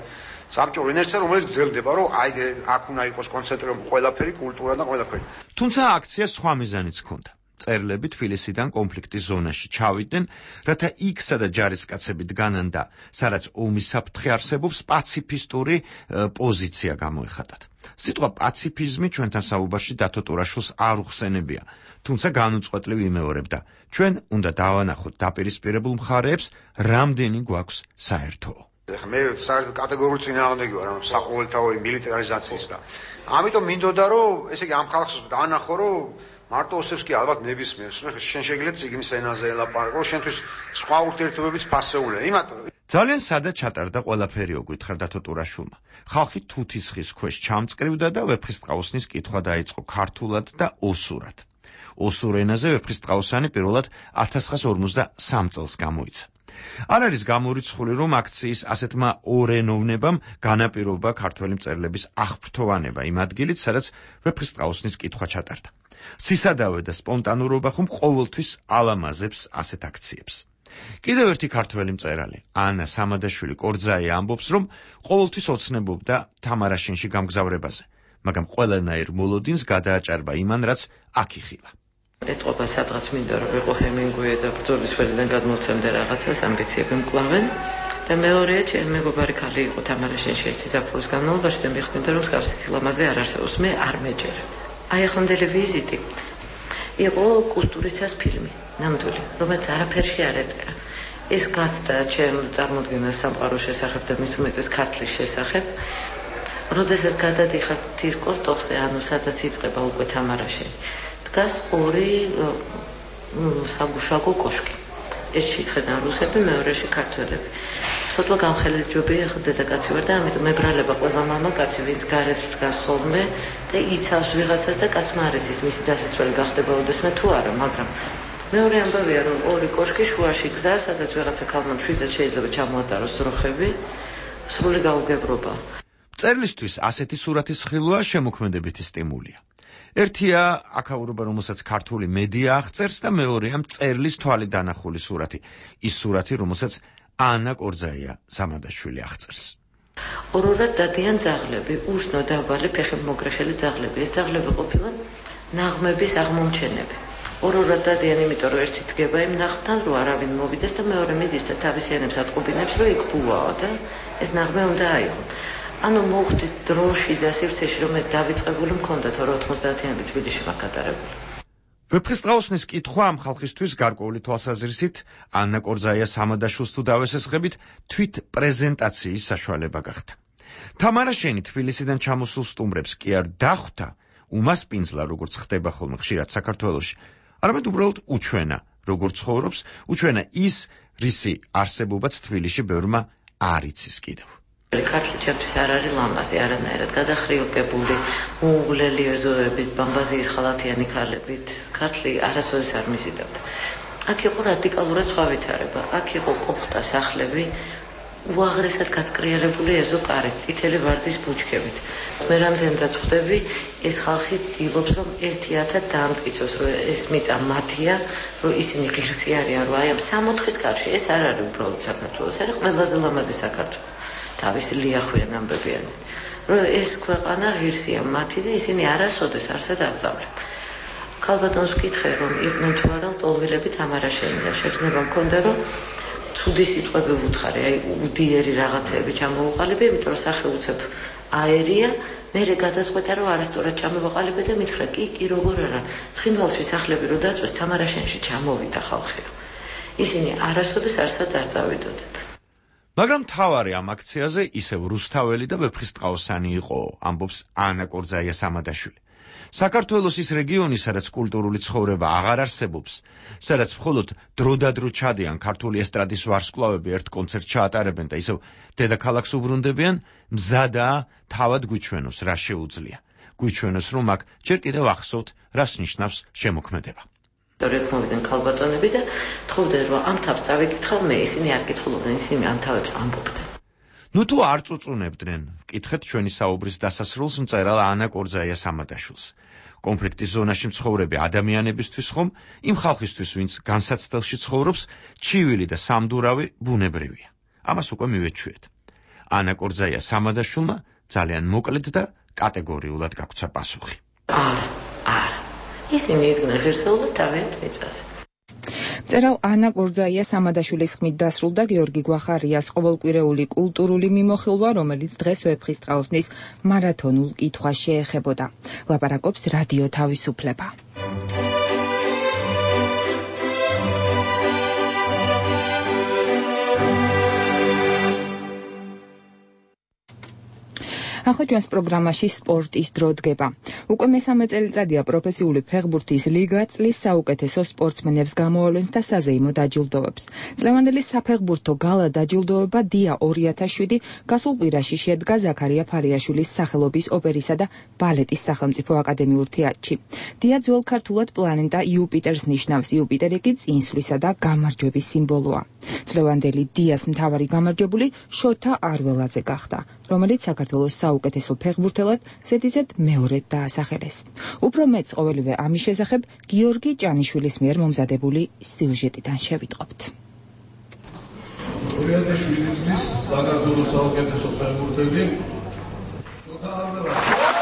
საბჭოური ინერცია, რომელიც გრძელდება, რომ აი აქ უნდა იყოს კონცენტრირებული ყველაფერი, კულტურა და ყველაფერი. თუმცა აქციას სხვა მიზანიც ჰქონდა. წერლები თბილისიდან კონფლიქტის ზონაში ჩავიდნენ, რათა იქ, სადაც ჯარისკაცები დგანან და სადაც ომის საფრთხე არსებობს, პაციფისტური პოზიცია გამოეხატათ. სიტყვა პაციფიზმი ჩვენთან საუბარში დათო ტურაშვილს არ უხსენებია, თუმცა განუწყვეტლივ იმეორებდა. ჩვენ უნდა დავანახოთ დაპირისპირებულ მხარეებს, რამდენი გვაქვს საერთო. მე საერთოდ კატეგორიულ წინააღმდეგი ვარ ამ საყოველთაო მილიტარიზაციის და ამიტომ მინდოდა რომ ესე იგი ამ ხალხს დაანახო რომ მარტო ოსებს კი ალბათ ნებისმიერს შენ შეგიძლია წიგნის ენაზე ელაპარაკო შენთვის სხვა ურთიერთობებიც ფასეულია იმათო ძალიან სადაც ჩატარდა ყველაფერი უგითხარ დათო ტურაშვილმა ხალხი თუთის ხის ქვეშ ჩამწკრივდა და ვეფხისტყაოსნის კითხვა დაიწყო ქართულად და ოსურად ოსურ ენაზე ვეფხისტყაოსანი პირველად 1953 წელს გამოიცა არ არის გამორიცხული, რომ აქციის ასეთმა ორენოვნებამ განაპირობა ქართველი მწერლების აღფრთოვანება იმ ადგილით, სადაც ვეფხისტყაოსნის კითხვა ჩატარდა. სისადავე და სპონტანურობა ხომ ყოველთვის ალამაზებს ასეთ აქციებს. კიდევ ერთი ქართველი მწერალი, ანა სამადაშვილი კორძაია ამბობს, რომ ყოველთვის ოცნებობდა თამარაშენში გამგზავრებაზე, მაგრამ ყველანაირ მოლოდინს გადააჭარბა იმან, რაც აქ იხილა. ეთყობა სადღაც მინდა რომ ვიყო ჰემინგუეი და ბრძოლის ველიდან გადმოვცემდე რაღაცას ამბიციები მკლავენ და მეორეა ჩემი მეგობარი ქალი იყო თამარაშენში ერთი ზაფხულის განმავლობაში და მიხსნიდა რომ მსგავსი სილამაზე არ არსებობს მე არ მეჯერე აი ახლანდელი ვიზიტი იყო კუსტურიცას ფილმი ნამდვილი რომელიც არაფერში არ ეწერა ეს გაცდა ჩემ წარმოდგენას სამყაროს შესახებ და მის უმეტეს ქართლის შესახებ როდესაც გადადიხარ თის კორტოხზე ანუ სადაც იწყება უკვე თამარაშენი დგას ორი საგუშაგო კოშკი. ერთში ხედავ რუსები, მეორეში ქართველები. ცოტა გამხელილი ჯობია ხა დედაკაცი ვარ და ამიტომ მებრალება ყველა მამაკაცი, ვინც გარეთ დგას ხოლმე და იცავს ვიღაცას და კაცმა არ იცის მისი დასაცველი გახდება ოდესმე თუ არა, მაგრამ მეორე ამბავია რომ ორი კოშკი შუაში გზა, სადაც ვიღაცა ქალმა მშვიდად შეიძლება ჩამოატაროს ძროხები, სრული გაუგებრობა. მწერლისთვის ასეთი სურათის ხილვა შემოქმედებითი სტიმულია. ერთია აქაურობა, რომელსაც ქართული მედია აღწერს და მეორეა მწერლის თვალით დანახული სურათი. ის სურათი, რომელსაც ანა კორძაია სამადაშვილი აღწერს. ორ-ორად დადიან ძაღლები, უსნო დაბალი ფეხებმოგრეხილი ძაღლები. ეს ძაღლები ყოფილან ნაღმების აღმომჩენები. ორ-ორად დადიან, იმიტომ რომ ერთი დგება იმ ნაღმთან, რომ არავინ მოვიდეს და მეორე მიდის და თავის ენებს ატყობინებს, რომ იქ ბუაო და ეს ნაღმე უნდა აიღო. ანუ მოხდით დროში და სივრცეში რომ ეს დავიწყებული მქონდა თორე 90-იანები თბილისში მაგატარებული. ვეფხისტყაოსნის კითხვა ამ ხალხისთვის გარკვეული თვალსაზრისით ანა კორძაია სამადაშვილს თუ დავესესხებით თვით პრეზენტაციის საშუალება გახდა. თამარაშენი თბილისიდან ჩამოსულ სტუმრებს კი არ დახვდა უმასპინძლა როგორც ხდება ხოლმე ხშირად საქართველოში, არამედ უბრალოდ უჩვენა როგორც ცხოვრობს, უჩვენა ის რისი არსებობაც თბილისში ბევრმა არ იცის კიდევ. ქართლი ჩემთვის არ არის ლამაზი, არანაირად გადახრიოკებული, უუღლელი ეზოებით, ბამბაზიის ხალათიანი ქალებით. ქართლი არასოდეს არ მიზიდავდა. აქ იყო რადიკალურად სხვა ვითარება. აქ იყო კოხტა სახლები, უაღრესად გაწკრიარებული ეზო კარით, წითელი ვარდის ბუჩქებით. მე რამდენადაც ხვდები, ეს ხალხი ცდილობს, რომ ერთიათად დაამტკიცოს, რომ ეს მიწა მათია, რომ ისინი ღირსი არიან, რომ აი ამ 60-ის კარში ეს არ არის უბრალოდ საქართველოს, არის ყველაზე ლამაზი საქართველო. თავისი ლიახვიან ამბებიან, რომ ეს ქვეყანა ღირსია მათი და ისინი არასოდეს არსად არ წავლენ. ქალბატონს ვკითხე, რომ იყვნენ თუ არა ლტოლვილები თამარაშენიდან, შეგრძნება მქონდა, რომ ცუდი სიტყვები ვუთხარი, აი უდიერი რაღაცეები ჩამოვუყალიბე, იმიტომ რომ სახე უცებ აერია, მერე გადაწყვეტა, რომ არასწორად ჩამოვაყალიბე და მითხრა, კი, როგორ არა, ცხინვალში სახლები რო დაწვეს, თამარაშენში ჩამოვიდა ხალხი. ისინი არასოდეს არსად არ წავიდოდნენ. მაგრამ თავარი ამ აქციაზე ისევ რუსთაველი და ვეფხისტყაოსანი იყო, ამბობს ანა კორძაია სამადაშვილი. საქართველოს ის რეგიონი, სადაც კულტურული ცხოვრება აღარ არსებობს, სადაც მხოლოდ დროდადრო ჩადიან ქართული ესტრადის ვარსკვლავები ერთ კონცერტს ჩაატარებენ და ისევ დედაქალაქს უბრუნდებიან, მზადაა თავად გვიჩვენოს, რა შეუძლია. გვიჩვენოს, რომ აქ ჯერ კიდევ ახსოვთ, რას ნიშნავს შემოქმედება. თორემ ქალბატონები და თხოვდნენ, რომ ამ თავს წავიკითხავ მე, ისინი არ კითხულობდნენ, ისინი ამ თავებს ამბობდნენ. ნუ თუ არ წუწუნებდნენ, კითხეთ ჩვენი საუბრის დასასრულს მწერალ ანა კორძაიას ამადაშვილს. კონფლიქტის ზონაში მცხოვრები ადამიანებისთვის ხომ, იმ ხალხისთვის, ვინც განსაცდელში ცხოვრობს, ჩივილი და სამდურავი ბუნებრივია. ამას უკვე მივეჩვიეთ. ანა კორძაიას ამადაშვილმა ძალიან მოკლედ და კატეგორიულად გაგვცა პასუხი. არა. ისინი იდგნენ ღირსეულად თავიანთ მიწაზე. მწერალ ანა კორძაიას ამადაშვილის ხმით დასრულდა გიორგი გვახარიას ყოველკვირეული კულტურული მიმოხილვა, რომელიც დღეს ვეფხისტყაოსნის მარათონულ კითხვას შეეხებოდა. ლაპარაკობს რადიო თავისუფლება. ახლა ჩვენს პროგრამაში სპორტის დრო დგება. უკვე მესამე წელიწადია პროფესიული ფეხბურთის ლიგა წლის საუკეთესო სპორტსმენებს გამოავლენს და საზეიმო დაჯილდოვებს. წლევანდელი საფეხბურთო გალა დაჯილდოვება დია 2007 გასულ კვირაში შედგა ზაქარია ფალიაშვილის სახელობის ოპერისა და ბალეტის სახელმწიფო აკადემიურ თეატრში. დია ძველ ქართულად პლანეტა იუპიტერს ნიშნავს. იუპიტერი კი წინსვლისა და გამარჯვების სიმბოლოა. წლევანდელი დიას მთავარი გამარჯვებული შოთა არველაძე გახდა, რომელიც საქართველოს საუკეთესო ფეხბურთელად ზედიზედ მეორედ დაასახელეს. უფრო მეც ყოველივე ამის შესახებ გიორგი ჭანიშვილის მიერ მომზადებული სიუჟეტიდან შევიტყობთ. 2007 წლის საქართველოს საუკეთესო ფეხბურთელი შოთა არველაძე.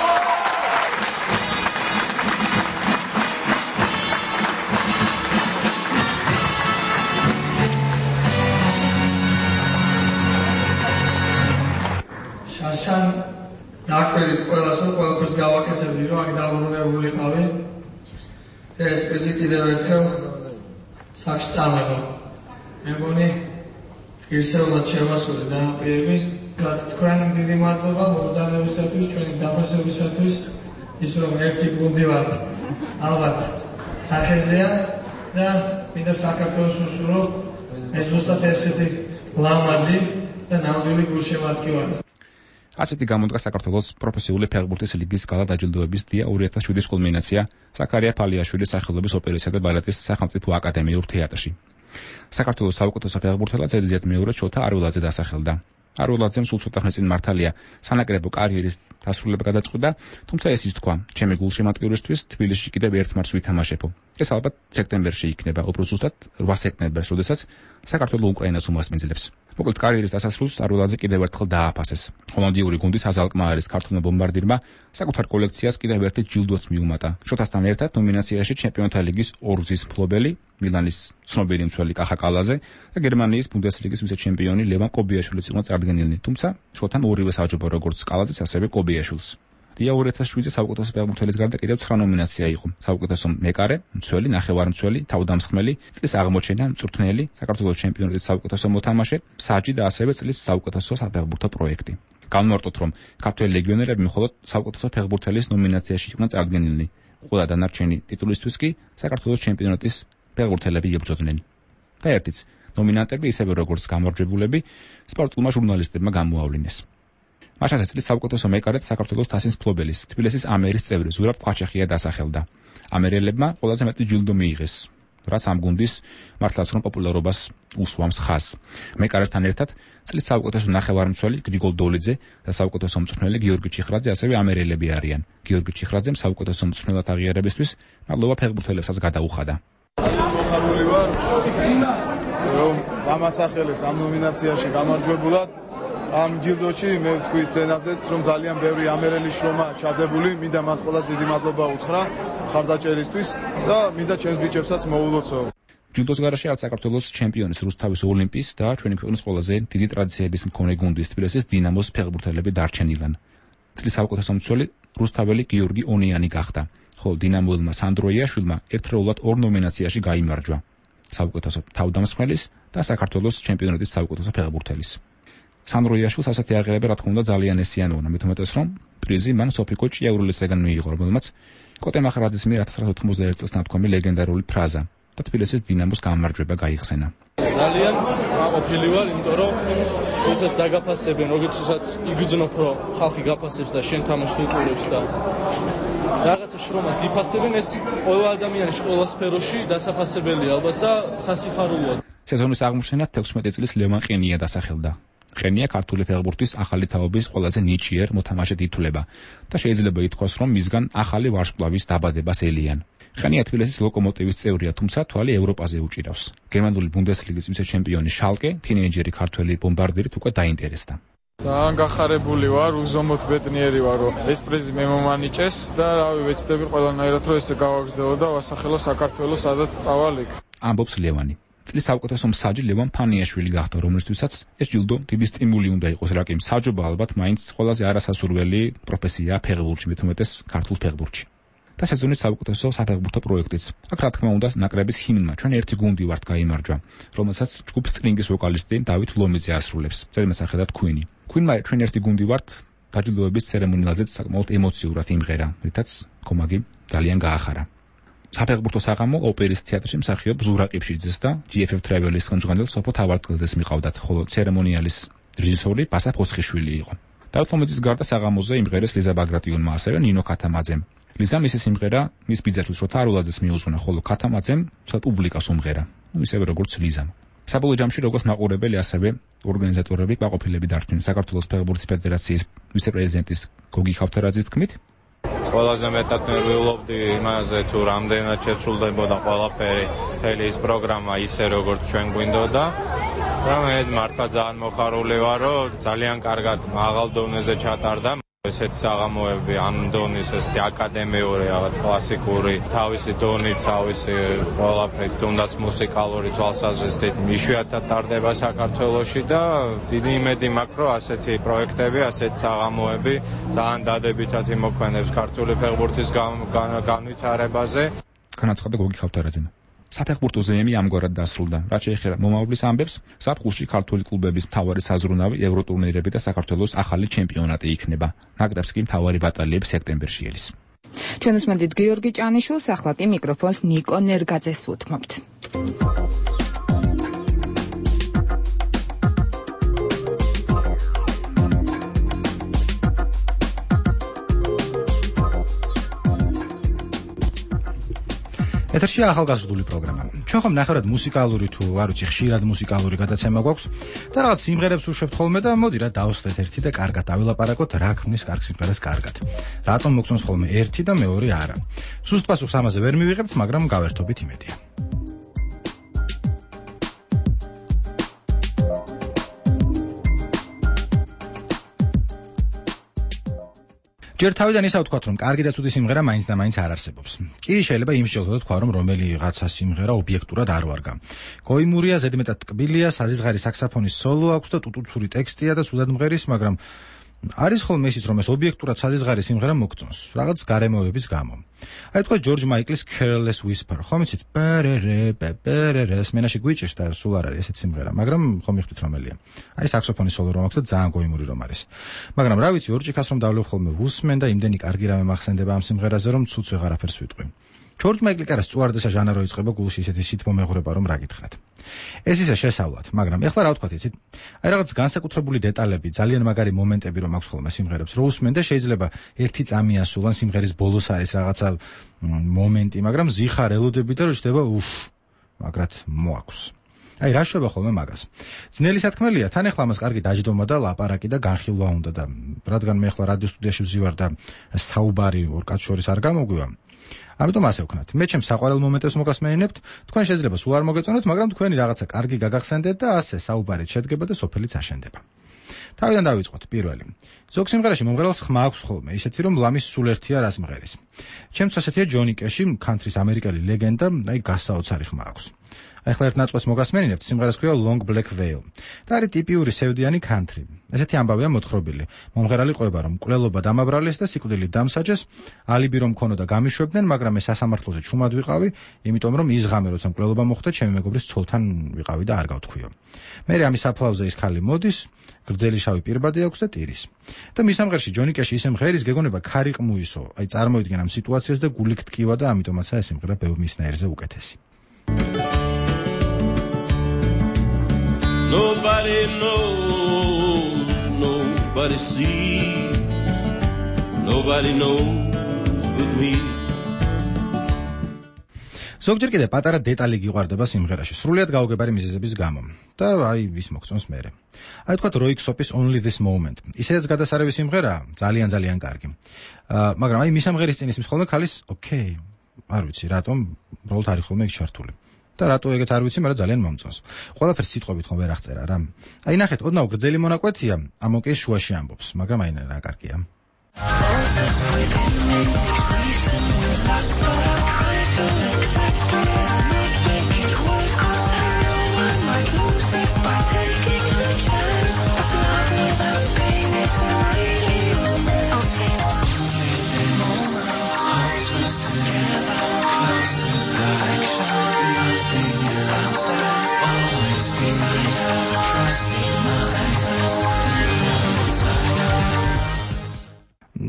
შაშან დაკვირით ყველაფერს გავაკეთებდი, რომ აქ დაბრუნებულიყავი. ეს პრიზი კიდევ ერთხელ სახში წამება. მე მგონი ღირსეულად შევასრულე დანაპირები. თქვენ დიდი მადლობა მობრძანებისათვის, ჩვენი დაფასებისათვის, ის რომ ერთი გუნდი ვართ. ალბათ სახეზეა და მინდა საქართველოს უსურვო ეს ზუსტად ესეთი ლამაზი და ნამდვილი გულშემატკივარი. ასეთი გამოდგა საქართველოს პროფესიული ფეხბურთის ლიგის გალა დაჯილდოების დია 2007-ის კულმინაცია ზაქარია ფალიაშვილის სახელობის ოპერისა და ბალეტის სახელმწიფო აკადემიურ თეატრში. საქართველოს საუკეთესო ფეხბურთელად ზედიზედ მეორე შოთა არველაძე დასახელდა. არველაძემ სულ ცოტა ხნის წინ მართალია სანაკრებო კარიერის დასრულება გადაწყვიტა, თუმცა ეს ის თქვა, ჩემი გულშემატკივრისთვის თბილისში კიდევ ერთ მარტს ვითამაშებო. ეს ალბათ სექტემბერში იქნება, უფრო ზუსტად 8 სექტემბერს, როდესაც საქართველო უკრაინას უმასპინძლებს. მოკლედ კარიერის დასასრულს არველაძე კიდევ ერთხელ დააფასეს. ჰოლანდიური გუნდის აზალკმაარის ქართულმა ბომბარდირმა საკუთარ კოლექციას კიდევ ერთი ჯილდოც მიუმატა. შოთასთან ერთად ნომინაციაში ჩემპიონთა ლიგის ორგზის მფლობელი მილანის ცნობილი მცველი კახა კალაძე და გერმანიის ბუნდესლიგის ვიცე-ჩემპიონი ლევან კობიაშვილიც იყო წარდგენილნი, თუმცა შოთამ ორივე საჯობა როგორც კალაძეს, ასევე კობიაშვილს. დია 2007-ის საუკეთესო ფეხბურთელის გარდა კიდევ 9 ნომინაცია იყო. საუკეთესო მეკარე, მცველი, ნახევარმცველი, თავდამსხმელი, წლის აღმოჩენა, მწვრთნელი, საქართველოს ჩემპიონატის საუკეთესო მოთამაშე, მსაჯი და ასევე წლის საუკეთესო საფეხბურთო პროექტი. განმარტოთ, რომ ქართველი ლეგიონერები მხოლოდ საუკეთესო ფეხბურთელის ნომინაციაში იყვნენ წარდგენილნი. ყველა დანარჩენი ტიტულისთვის კი საქართველოს ჩემპიონატის ფეხბურთელები იბრძოდნენ. და ერთიც ნომინანტები ისევე როგორც გამარჯვებულები სპორტულმა ჟურნალისტებმა გამოავლინეს. მაშასე წლის საუკეთესო მეკარედ საქართველოს თასის მფლობელის თბილისის ამერის წევრი ზურაბ ყვაჩახია დასახელდა. ამერელებმა ყველაზე მეტი ჯილდო მიიღეს, რაც ამ გუნდის მართლაც რომ პოპულარობას უსვამს ხაზს. მეკარესთან ერთად წლის საუკეთესო ნახევარმცველი გრიგოლ დოლიძე და საუკეთესო მწვრთნელი გიორგი ჩიხრაძე ასევე ამერელები არიან. გიორგი ჩიხრაძემ საუკეთესო მწვრთნელად აღიარებისთვის მადლობა ფეხბურთელებსაც გადაუხადა. მოხარული ვარ, რომ გამასახელეს ამ ნომინაციაში გამარჯვებულად. ამ ჯილდოში მე ვთქვი სცენაზეც, რომ ძალიან ბევრი ამერელი შრომა ჩადებული, მინდა მათ ყველას დიდი მადლობა უთხრა ხარდაჭერისთვის და მინდა ჩემს ბიჭებსაც მოულოცო. ჯილდოს გარშე არც საქართველოს ჩემპიონის რუსთავის ოლიმპიის და ჩვენი ქვეყნის ყველაზე დიდი ტრადიციების მქონე გუნდის თბილისის დინამოს ფეხბურთელები დარჩენილან. წლის საუკეთესო მცველი რუსთაველი გიორგი ონიანი გახდა, ხოლო დინამოელმა სანდრო იაშვილმა ერთდროულად 2 ნომინაციაში გაიმარჯვა: საუკეთესო თავდამსხმელის და საქართველოს ჩემპიონატის საუკეთესო ფეხბურთელის. სანდრო იაშვილს ასეთი აღიარება რა თქმა უნდა ძალიან ესიანუნა, მით უმეტეს რომ პრიზი მან სოფიკო ჭიაურელისგან მიიღო, რომელმაც კოტე მახრაძის მიერ 1991 წელს ნათქვამი ლეგენდარული ფრაზა და თბილისის დინამოს გამარჯვება გაიხსენა. ძალიან აყოფილი ვარ, იმიტომ რომ როდესაც დაგაფასებენ, როდესაც იგრძნობ, რომ ხალხი გაფასებს და შენ თამაშს უყურებს და რაღაცა შრომას გიფასებენ, ეს ყველა ადამიანის ყველა სფეროში დასაფასებელია ალბათ და სასიხარულოა. სეზონის აღმოჩენად 16 წლის ლევან ყენია დასახელდა. ყენია ქართული ფეხბურთის ახალი თაობის ყველაზე ნიჭიერ მოთამაშედ ითვლება და შეიძლება ითქვას, რომ მისგან ახალი ვარსკვლავის დაბადებას ელიან. ყენია თბილისის ლოკომოტივის წევრია, თუმცა თვალი ევროპაზე უჭირავს. გერმანული ბუნდესლიგის ვიცე-ჩემპიონი შალკე თინეიჯერი ქართველი ბომბარდირით უკვე დაინტერესდა. ძალიან გახარებული ვარ, უზომოდ ბედნიერი ვარ, რომ ეს პრიზი მე მომანიჭეს და რავი, ვეცდები ყველანაირად რომ ესე გავაგრძელო და ვასახელო საქართველოს, სადაც წავალ იქ. ამბობს ლევანი. წლის საუკეთესო მსაჯი ლევან ფანიაშვილი გახდა, რომელთვისაც ეს ჯილდო დიდი სტიმული უნდა იყოს, რაკი მსაჯობა ალბათ მაინც ყველაზე არასასურველი პროფესიაა ფეხბურთში, მით უმეტეს ქართულ ფეხბურთში. და სეზონის საუკეთესო საფეხბურთო პროექტიც. აქ რა თქმა უნდა ნაკრების ჰიმნმა ჩვენ ერთი გუნდი ვართ გაიმარჯვა, რომელსაც ჯგუფ სტრინგის ვოკალისტი დავით ლომიძე ასრულებს. ზედმეტსახელად Queen-ი. Queen-მა ჩვენ ერთი გუნდი ვართ დაჯილდოების ცერემონიალზე საკმაოდ ემოციურად იმღერა, რითაც კომაგი ძალიან გაახარა. საფეხბურთო საღამო ოპერის თეატრში მსახიობ ზურა ყიფშიძეს და GFF Travel-ის ხელმძღვანელ სოფო თავარტყელძეს მიყავდათ, ხოლო ცერემონიალის რეჟისორი ბასა ფოსხიშვილი იყო. დავით ლომიძის გარდა საღამოზე იმღერეს ლიზა ბაგრატიონმა, ასევე ნინო ქათამაძემ. ლიზა მისი სიმღერა მის ბიძაშვილ შოთა არულაძეს მიუძღვნა, ხოლო ქათამაძემ მთელ პუბლიკას უმღერა, ისევე როგორც ლიზამ. საბოლოო ჯამში როგორც მაყურებელი, ასევე ორგანიზატორები კმაყოფილები დარჩნენ. საქართველოს ფეხბურთის ფედერაციის ვიცე-პრეზიდენტის გოგი ქავთარაძის თქმით, ყველაზე მეტად ნერვიულობდი იმაზე, თუ რამდენად შესრულდებოდა ყველაფერი, მთელი ის პროგრამა ისე როგორც ჩვენ გვინდოდა. და მე მართლა ძალიან მოხარული ვარ, რომ ძალიან კარგად მაღალ დონეზე ჩატარდა. ესეთი საღამოები ამ დონის ესეთი აკადემიური, რაღაც კლასიკური, თავისი დონით, თავისი ყველაფრით, თუნდაც მუსიკალური თვალსაზრისით იშვიათად ტარდება საქართველოში და დიდი იმედი მაქვს, რომ ასეთი პროექტები, ასეთი საღამოები ძალიან დადებითად იმოქმედებს ქართული ფეხბურთის განვითარებაზე. განაცხადა გოგი ქავთარაძემ. საფეხბურთო ზეიმი ამგვარად დასრულდა. რაც შეეხება მომავლის ამბებს, ზაფხულში ქართული კლუბების მთავარი საზრუნავი ევროტურნირები და საქართველოს ახალი ჩემპიონატი იქნება. ნაკრებს კი მთავარი ბატალიები სექტემბერში ელის. ჩვენ უსმენთ გიორგი ჭანიშვილს, ახლა კი მიკროფონს ნიკო ნერგაძეს უთმობთ. ეთერშია ახალგაზრდული პროგრამა. ჩვენ ხომ ნახევრად მუსიკალური თუ არ ვიცი, ხშირად მუსიკალური გადაცემა გვაქვს და რაღაც სიმღერებს უშვებთ ხოლმე და მოდი რა დავსვეთ ერთი და კარგად დავილაპარაკოთ რა ქმნის კარგ სიმღერას კარგად. რატომ მოგწონს ხოლმე ერთი და მეორე არა. სუსტ პასუხს ამაზე ვერ მივიღებთ, მაგრამ გავერთობით იმედია. ჯერ თავიდან ისა ვთქვათ, რომ კარგი და ცუდი სიმღერა მაინც და მაინც არ არსებობს. კი შეიძლება იმსჯელოთ თქვა, რომ რომელიღაცა სიმღერა ობიექტურად არ ვარგა. გოიმურია, ზედმეტად ტკბილია, საზღარი საქსაფონის სოლო აქვს და ტუტუცური ტექსტია და სუდად მღერის, მაგრამ არის ხოლმე ისიც, რომ ეს ობიექტურად საზღარი სიმღერა მოგწონს, რაღაც გარემოებების გამო. აი თქვა ჯორჯ მაიკლის Careless Whisper, ხომ იცით? პერერე, სმენაში გვიჭირს და სულ არ არის ესეთ სიმღერა, მაგრამ ხომ მიხვდით რომელია. აი საქსოფონის სოლო რომ აქვს და ძალიან გოიმური რომ არის. მაგრამ რა ვიცი, ორჭიქას რომ დავლევ ხოლმე ვუსმენ და იმდენი კარგი რამე მახსენდება ამ სიმღერაზე, რომ ცუც ვეღარაფერს ვიტყვი. ჯორჯ მაიკლი კარას წუარდესა ჟანა რო იწყება გულში ისეთი სითბო მეღრება რომ რა გითხრათ. ეს ისე შესავლად, მაგრამ ეხლა რა ვთქვათ, იცით? აი რაღაც განსაკუთრებული დეტალები, ძალიან მაგარი მომენტები რომ აქვს ხოლმე სიმღერებს, რო უსმენ და შეიძლება ერთი წამი ასულან სიმღერის ბოლოს არის რაღაცა მომენტი, მაგრამ ზიხარ ელოდები და რო ჩდება მაგრად მოაქვს. აი რა შვება ხოლმე მაგას. ძნელი სათქმელია, თან ეხლა ამას კარგი დაჯდომა და ლაპარაკი და განხილვა უნდა და რადგან მე ეხლა რადიო სტუდიაში ვზივარ და საუბარი ორ კაც შორის არ გამოგვივა. ამიტომ ასე ვქნათ. მე ჩემს საყვარელ მომენტებს მოგასმენინებთ, თქვენ შეიძლება სულ არ მოგეწონოთ, მაგრამ თქვენი რაღაცა კარგი გაგახსენდეთ და ასე საუბარით შედგება და სოფელიც აშენდება. თავიდან დავიწყოთ პირველი. ზოგ სიმღერაში მომღერალს ხმა აქვს ხოლმე, ისეთი რომ ლამის სულ ერთია რას მღერის. ჩემთვის ასეთია ჯონი კეში, კანტრის ამერიკელი ლეგენდა, აი გასაოცარი ხმა აქვს. ახლა ერთ ნაწყვეს მოგასმენინებთ, სიმღერას ქვია Long Black Veil. და არის ტიპიური სევდიანი country. ესეთი ამბავია მოთხრობილი. მომღერალი ყვება, რომ მკვლელობა დამაბრალეს და სიკვდილით დამსაჯეს, ალიბი რომ ქონოდა გამიშვებდნენ, მაგრამ ეს სასამართლოზე ჩუმად ვიყავი, იმიტომ რომ ის ღამე როცა მკვლელობა მოხდა, ჩემი მეგობრის ცოლთან ვიყავი და არ გავთქვიო. მერე ამის საფლავზე ის ხალი მოდის, გრძელი შავი პირბადი აქვს და ტირის. და მის სამღერში ჯონი კეში ისე მღერის გეგონება ქარი ყმუისო. აი წარმოიდგენ ამ სიტუაციას და გულით ტკივა და ამიტომაცაა ეს სიმღერა ბევრ მისნაირზე უკეთესი. Nobody knows, nobody sees, nobody knows but me. ზოგჯერ კიდე პატარა დეტალი გიყვარდება სიმღერაში, სრულიად გაუგებარი მიზეზების გამო. და აი ის მოგწონს მერე. აი თქვათ როიქსოპის Only This Moment. ისედაც გადასარევი სიმღერაა, ძალიან კარგი. მაგრამ აი მის ამღერის წინ ისმის ხოლმე ქალის, ოკეი, არ ვიცი, რატომ უბრალოდ არის ხოლმე იქ ჩართული. და რატო ეგეც არ ვიცი, მაგრამ ძალიან მომწონს. ყველაფერს სიტყვებით ხომ ვერ აღწერა რა. აი ნახეთ, ოდნავ გრძელი მონაკვეთია, ამოკეს შუაში ამბობს, მაგრამ აი რა კარგია.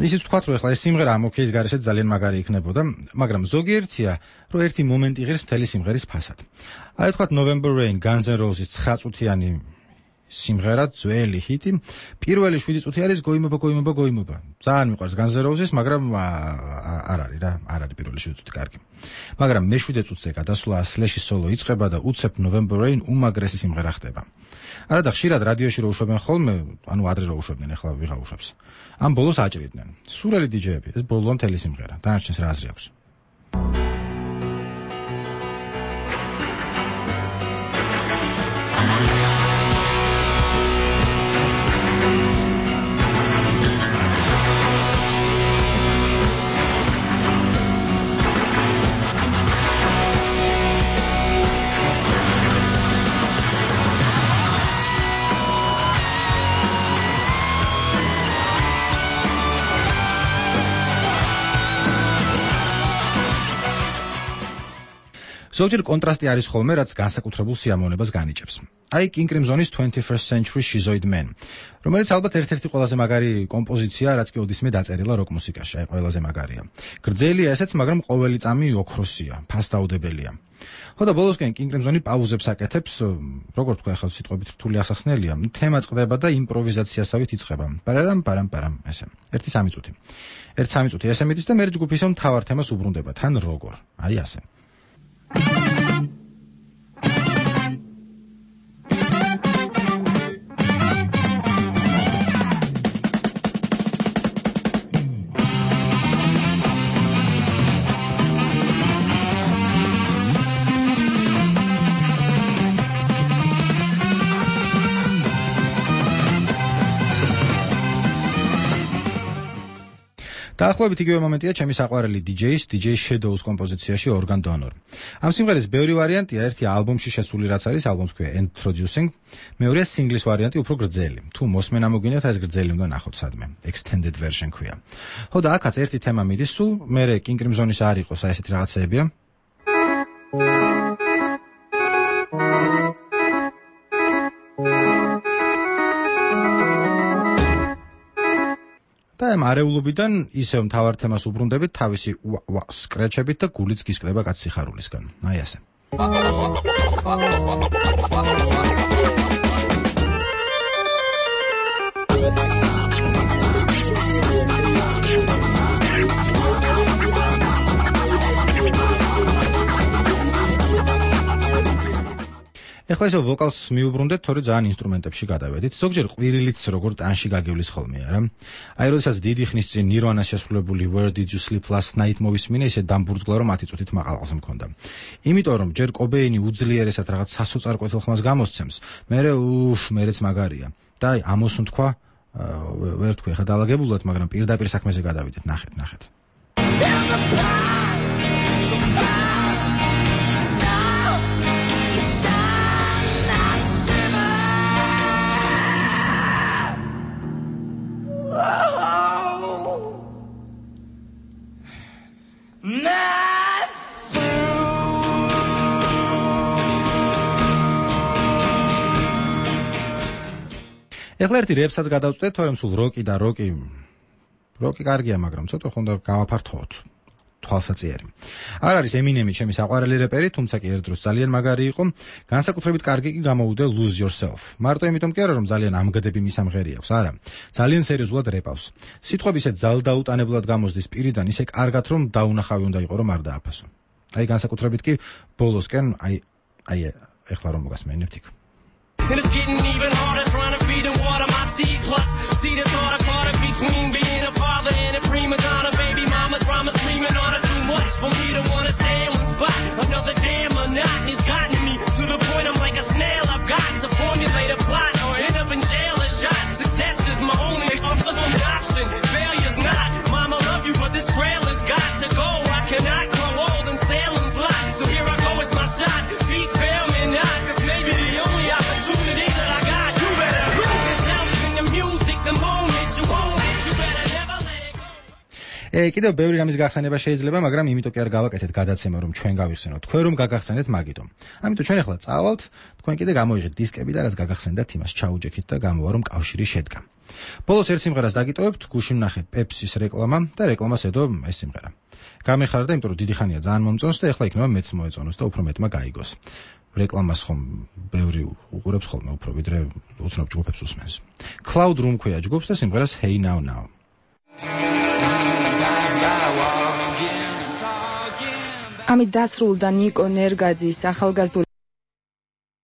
ისიც ვთქვათ, რომ ახლა ეს სიმღერა ამ ოკეის გარეშეც ძალიან მაგარი იქნებოდა, მაგრამ ზოგიერთია, რომ ერთი მომენტი იღებს მთელი სიმღერის ფასად. აი ვთქვათ November Rain, Guns N' Roses 9 წუთიანი სიმღერა, ძველი ჰიტი, პირველი 7 წუთი არის გოიმობა. ძალიან მიყვარს Guns N' Roses, მაგრამ არ არის რა, არ არის პირველი 7 წუთი კარგი. მაგრამ მე-7 წუთზე გადასვლა Slash-ის სოლო იწყება და უცებ November Rain უმაგრესი სიმღერა ხდება. არა და ხშირად რადიოში რო უშვებენ ხოლმე, ანუ ადრე რო უშვებდნენ, ახლა ვიღა უშვებს. ამ ბოლოს აჭრიდნენ. სურელი დიჯეები, ეს ბოლო მთელი სიმღერა. დანარჩენს რა აზრი აქვს? ზოგჯერ კონტრასტი არის ხოლმე, რაც განსაკუთრებულ სიამოვნებას განიჭებს. აი King Crimson-ის 21st Century Schizoid Man, რომელიც ალბათ ერთ-ერთი ყველაზე მაგარი კომპოზიცია, რაც კი ოდისმე დაწერილა როკ მუსიკაში, აი ყველაზე მაგარია. გრძელია ესეც, მაგრამ ყოველი წამი ოქროსია, ფასდაუდებელია. ხო და ბოლოსკენ King Crimson-ი პაუზებს აკეთებს, როგორ თქვა ახლა სიტყვებით რთული ასახსნელია, თემა წყდება და იმპროვიზაციასავით იწყება. პარამ, ესე. 1-3 წუთი. 1-3 წუთი ესე მიდის და მე ჯგუფი ისევ მთავარ თემას უბრუნდება, თან როგორ. აი ასე. დაახლოებით იგივე მომენტია ჩემი საყვარელი DJ Shadows კომპოზიციაში Organ Donor. ამ სიმღერის ბევრი ვარიანტია, ერთი ალბომში შესული რაც არის, ალბომს ქვია Introducing, მეორეა სინგლის ვარიანტი უფრო გრძელი. თუ მოსმენა მოგინდათ, ეს გრძელი უნდა ნახოთ სადმე. Extended version ქვია. ხო და აქაც ერთი თემა მიდის სულ, მერე King Crimson-ის არ იყოს, აი ესეთი რაღაცეებია. და ამ არეულობიდან ისევ მთავარ თემას უბრუნდებით თავისი სკრეჩებით და გულიც გისკდება კაც სიხარულისგან. აი ასე. ეხლა ისე ვოკალს მიუბრუნდეთ, თორე ძალიან ინსტრუმენტებში გადავედით. ზოგჯერ ყვირილიც როგორ ტანში გაგევლის ხოლმე, არა? აი, როდესაც დიდი ხნის წინ Nirvana-ს შესრულებული Where Did You Sleep Last Night მოვისმინე, ისე დამბურძგლა, რომ 10 წუთით მაყალყზე მქონდა. იმიტომ რომ ჯერ კობეინი უძლიერესად რაღაც სასოწარკვეთილ ხმას გამოსცემს, მერეც მაგარია. და აი, ამოსუნ თქვა, ვერ თქვი ხა დაალაგებულად, მაგრამ პირდაპირ საქმეზე გადავიდეთ, ნახეთ. ეხლა ერთი რეპსაც გადავწყვეტ, თორემ სულ როკი კარგია, მაგრამ ცოტა ხონდა გავაფართოვოთ. თვალსაწიერი. არ არის ემინემი ჩემი საყვარელი რეპერი, თუმცა კი ერთ დროს ძალიან მაგარი იყო. განსაკუთრებით კარგი კი გამოუდა Lose Yourself. მარტო იმიტომ კი არა, რომ ძალიან ამგდები მის ამღერი აქვს, არა. ძალიან სერიოზულად რეპავს. სიტყვები ისე ძალდაუტანებლად გამოსდის პირიდან, ისე კარგად რომ დაუნახავი უნდა იყო, რომ არ დააფასო. აი განსაკუთრებით კი ბოლოსკენ, აი ეხლა რომ მოგასმენებთ იქ. And it's getting even harder trying to feed and water my seed. Plus, see the thought I caught it between being a father and a prima donna. Baby mama drama screaming on her too much for me to want to stay in one spot. Another damn monotony's gotten me to the point I'm like a snail. I've got to formulate a plot or end up in jail or shot. Success is my only option. Failure's not. Mama love you, but this trail has got to go. I cannot grow old in Salem's lot. So here I go, it's my shot. Feet fail me not. This may be the only opportunity that I got. You better lose yourself in the music the moment you own it. You better never let it go. კიდევ ბევრი რამის გახსენება შეიძლება, მაგრამ იმიტომ კი არ გავაკეთეთ გადაცემა, რომ ჩვენ გავიხსენოთ თქვენ რომ გაგახსენეთ მაგიტომ. ამიტომ ჩვენ ახლა წავალთ, თქვენ კიდე გამოიღეთ დისკები და რაც გაგახსენდათ იმას ჩაუჯექით და გამოვა რომ კავშირი შედგა. ბოლოს ერთ სიმღერას დაგიტოვებთ, გუშინ ნახე პეპსის რეკლამა და რეკლამას ედო ეს სიმღერა. გამეხარდა, იმიტომ რომ დიდი ხანია ძალიან მომწონს და ახლა იქნება მეც მოეწონოს და უფრო მეტმა გაიგოს. რეკლამას ხომ ბევრი უყურებს ხოლმე უფრო ვიდრე უცნობ ჯგუფებს უსმენს. Cloud Room ქვია ჯგუფს და სიმღერას Hey Now Now. ამით დასრულდა ნიკო ნერგაძის ახალგაზრდული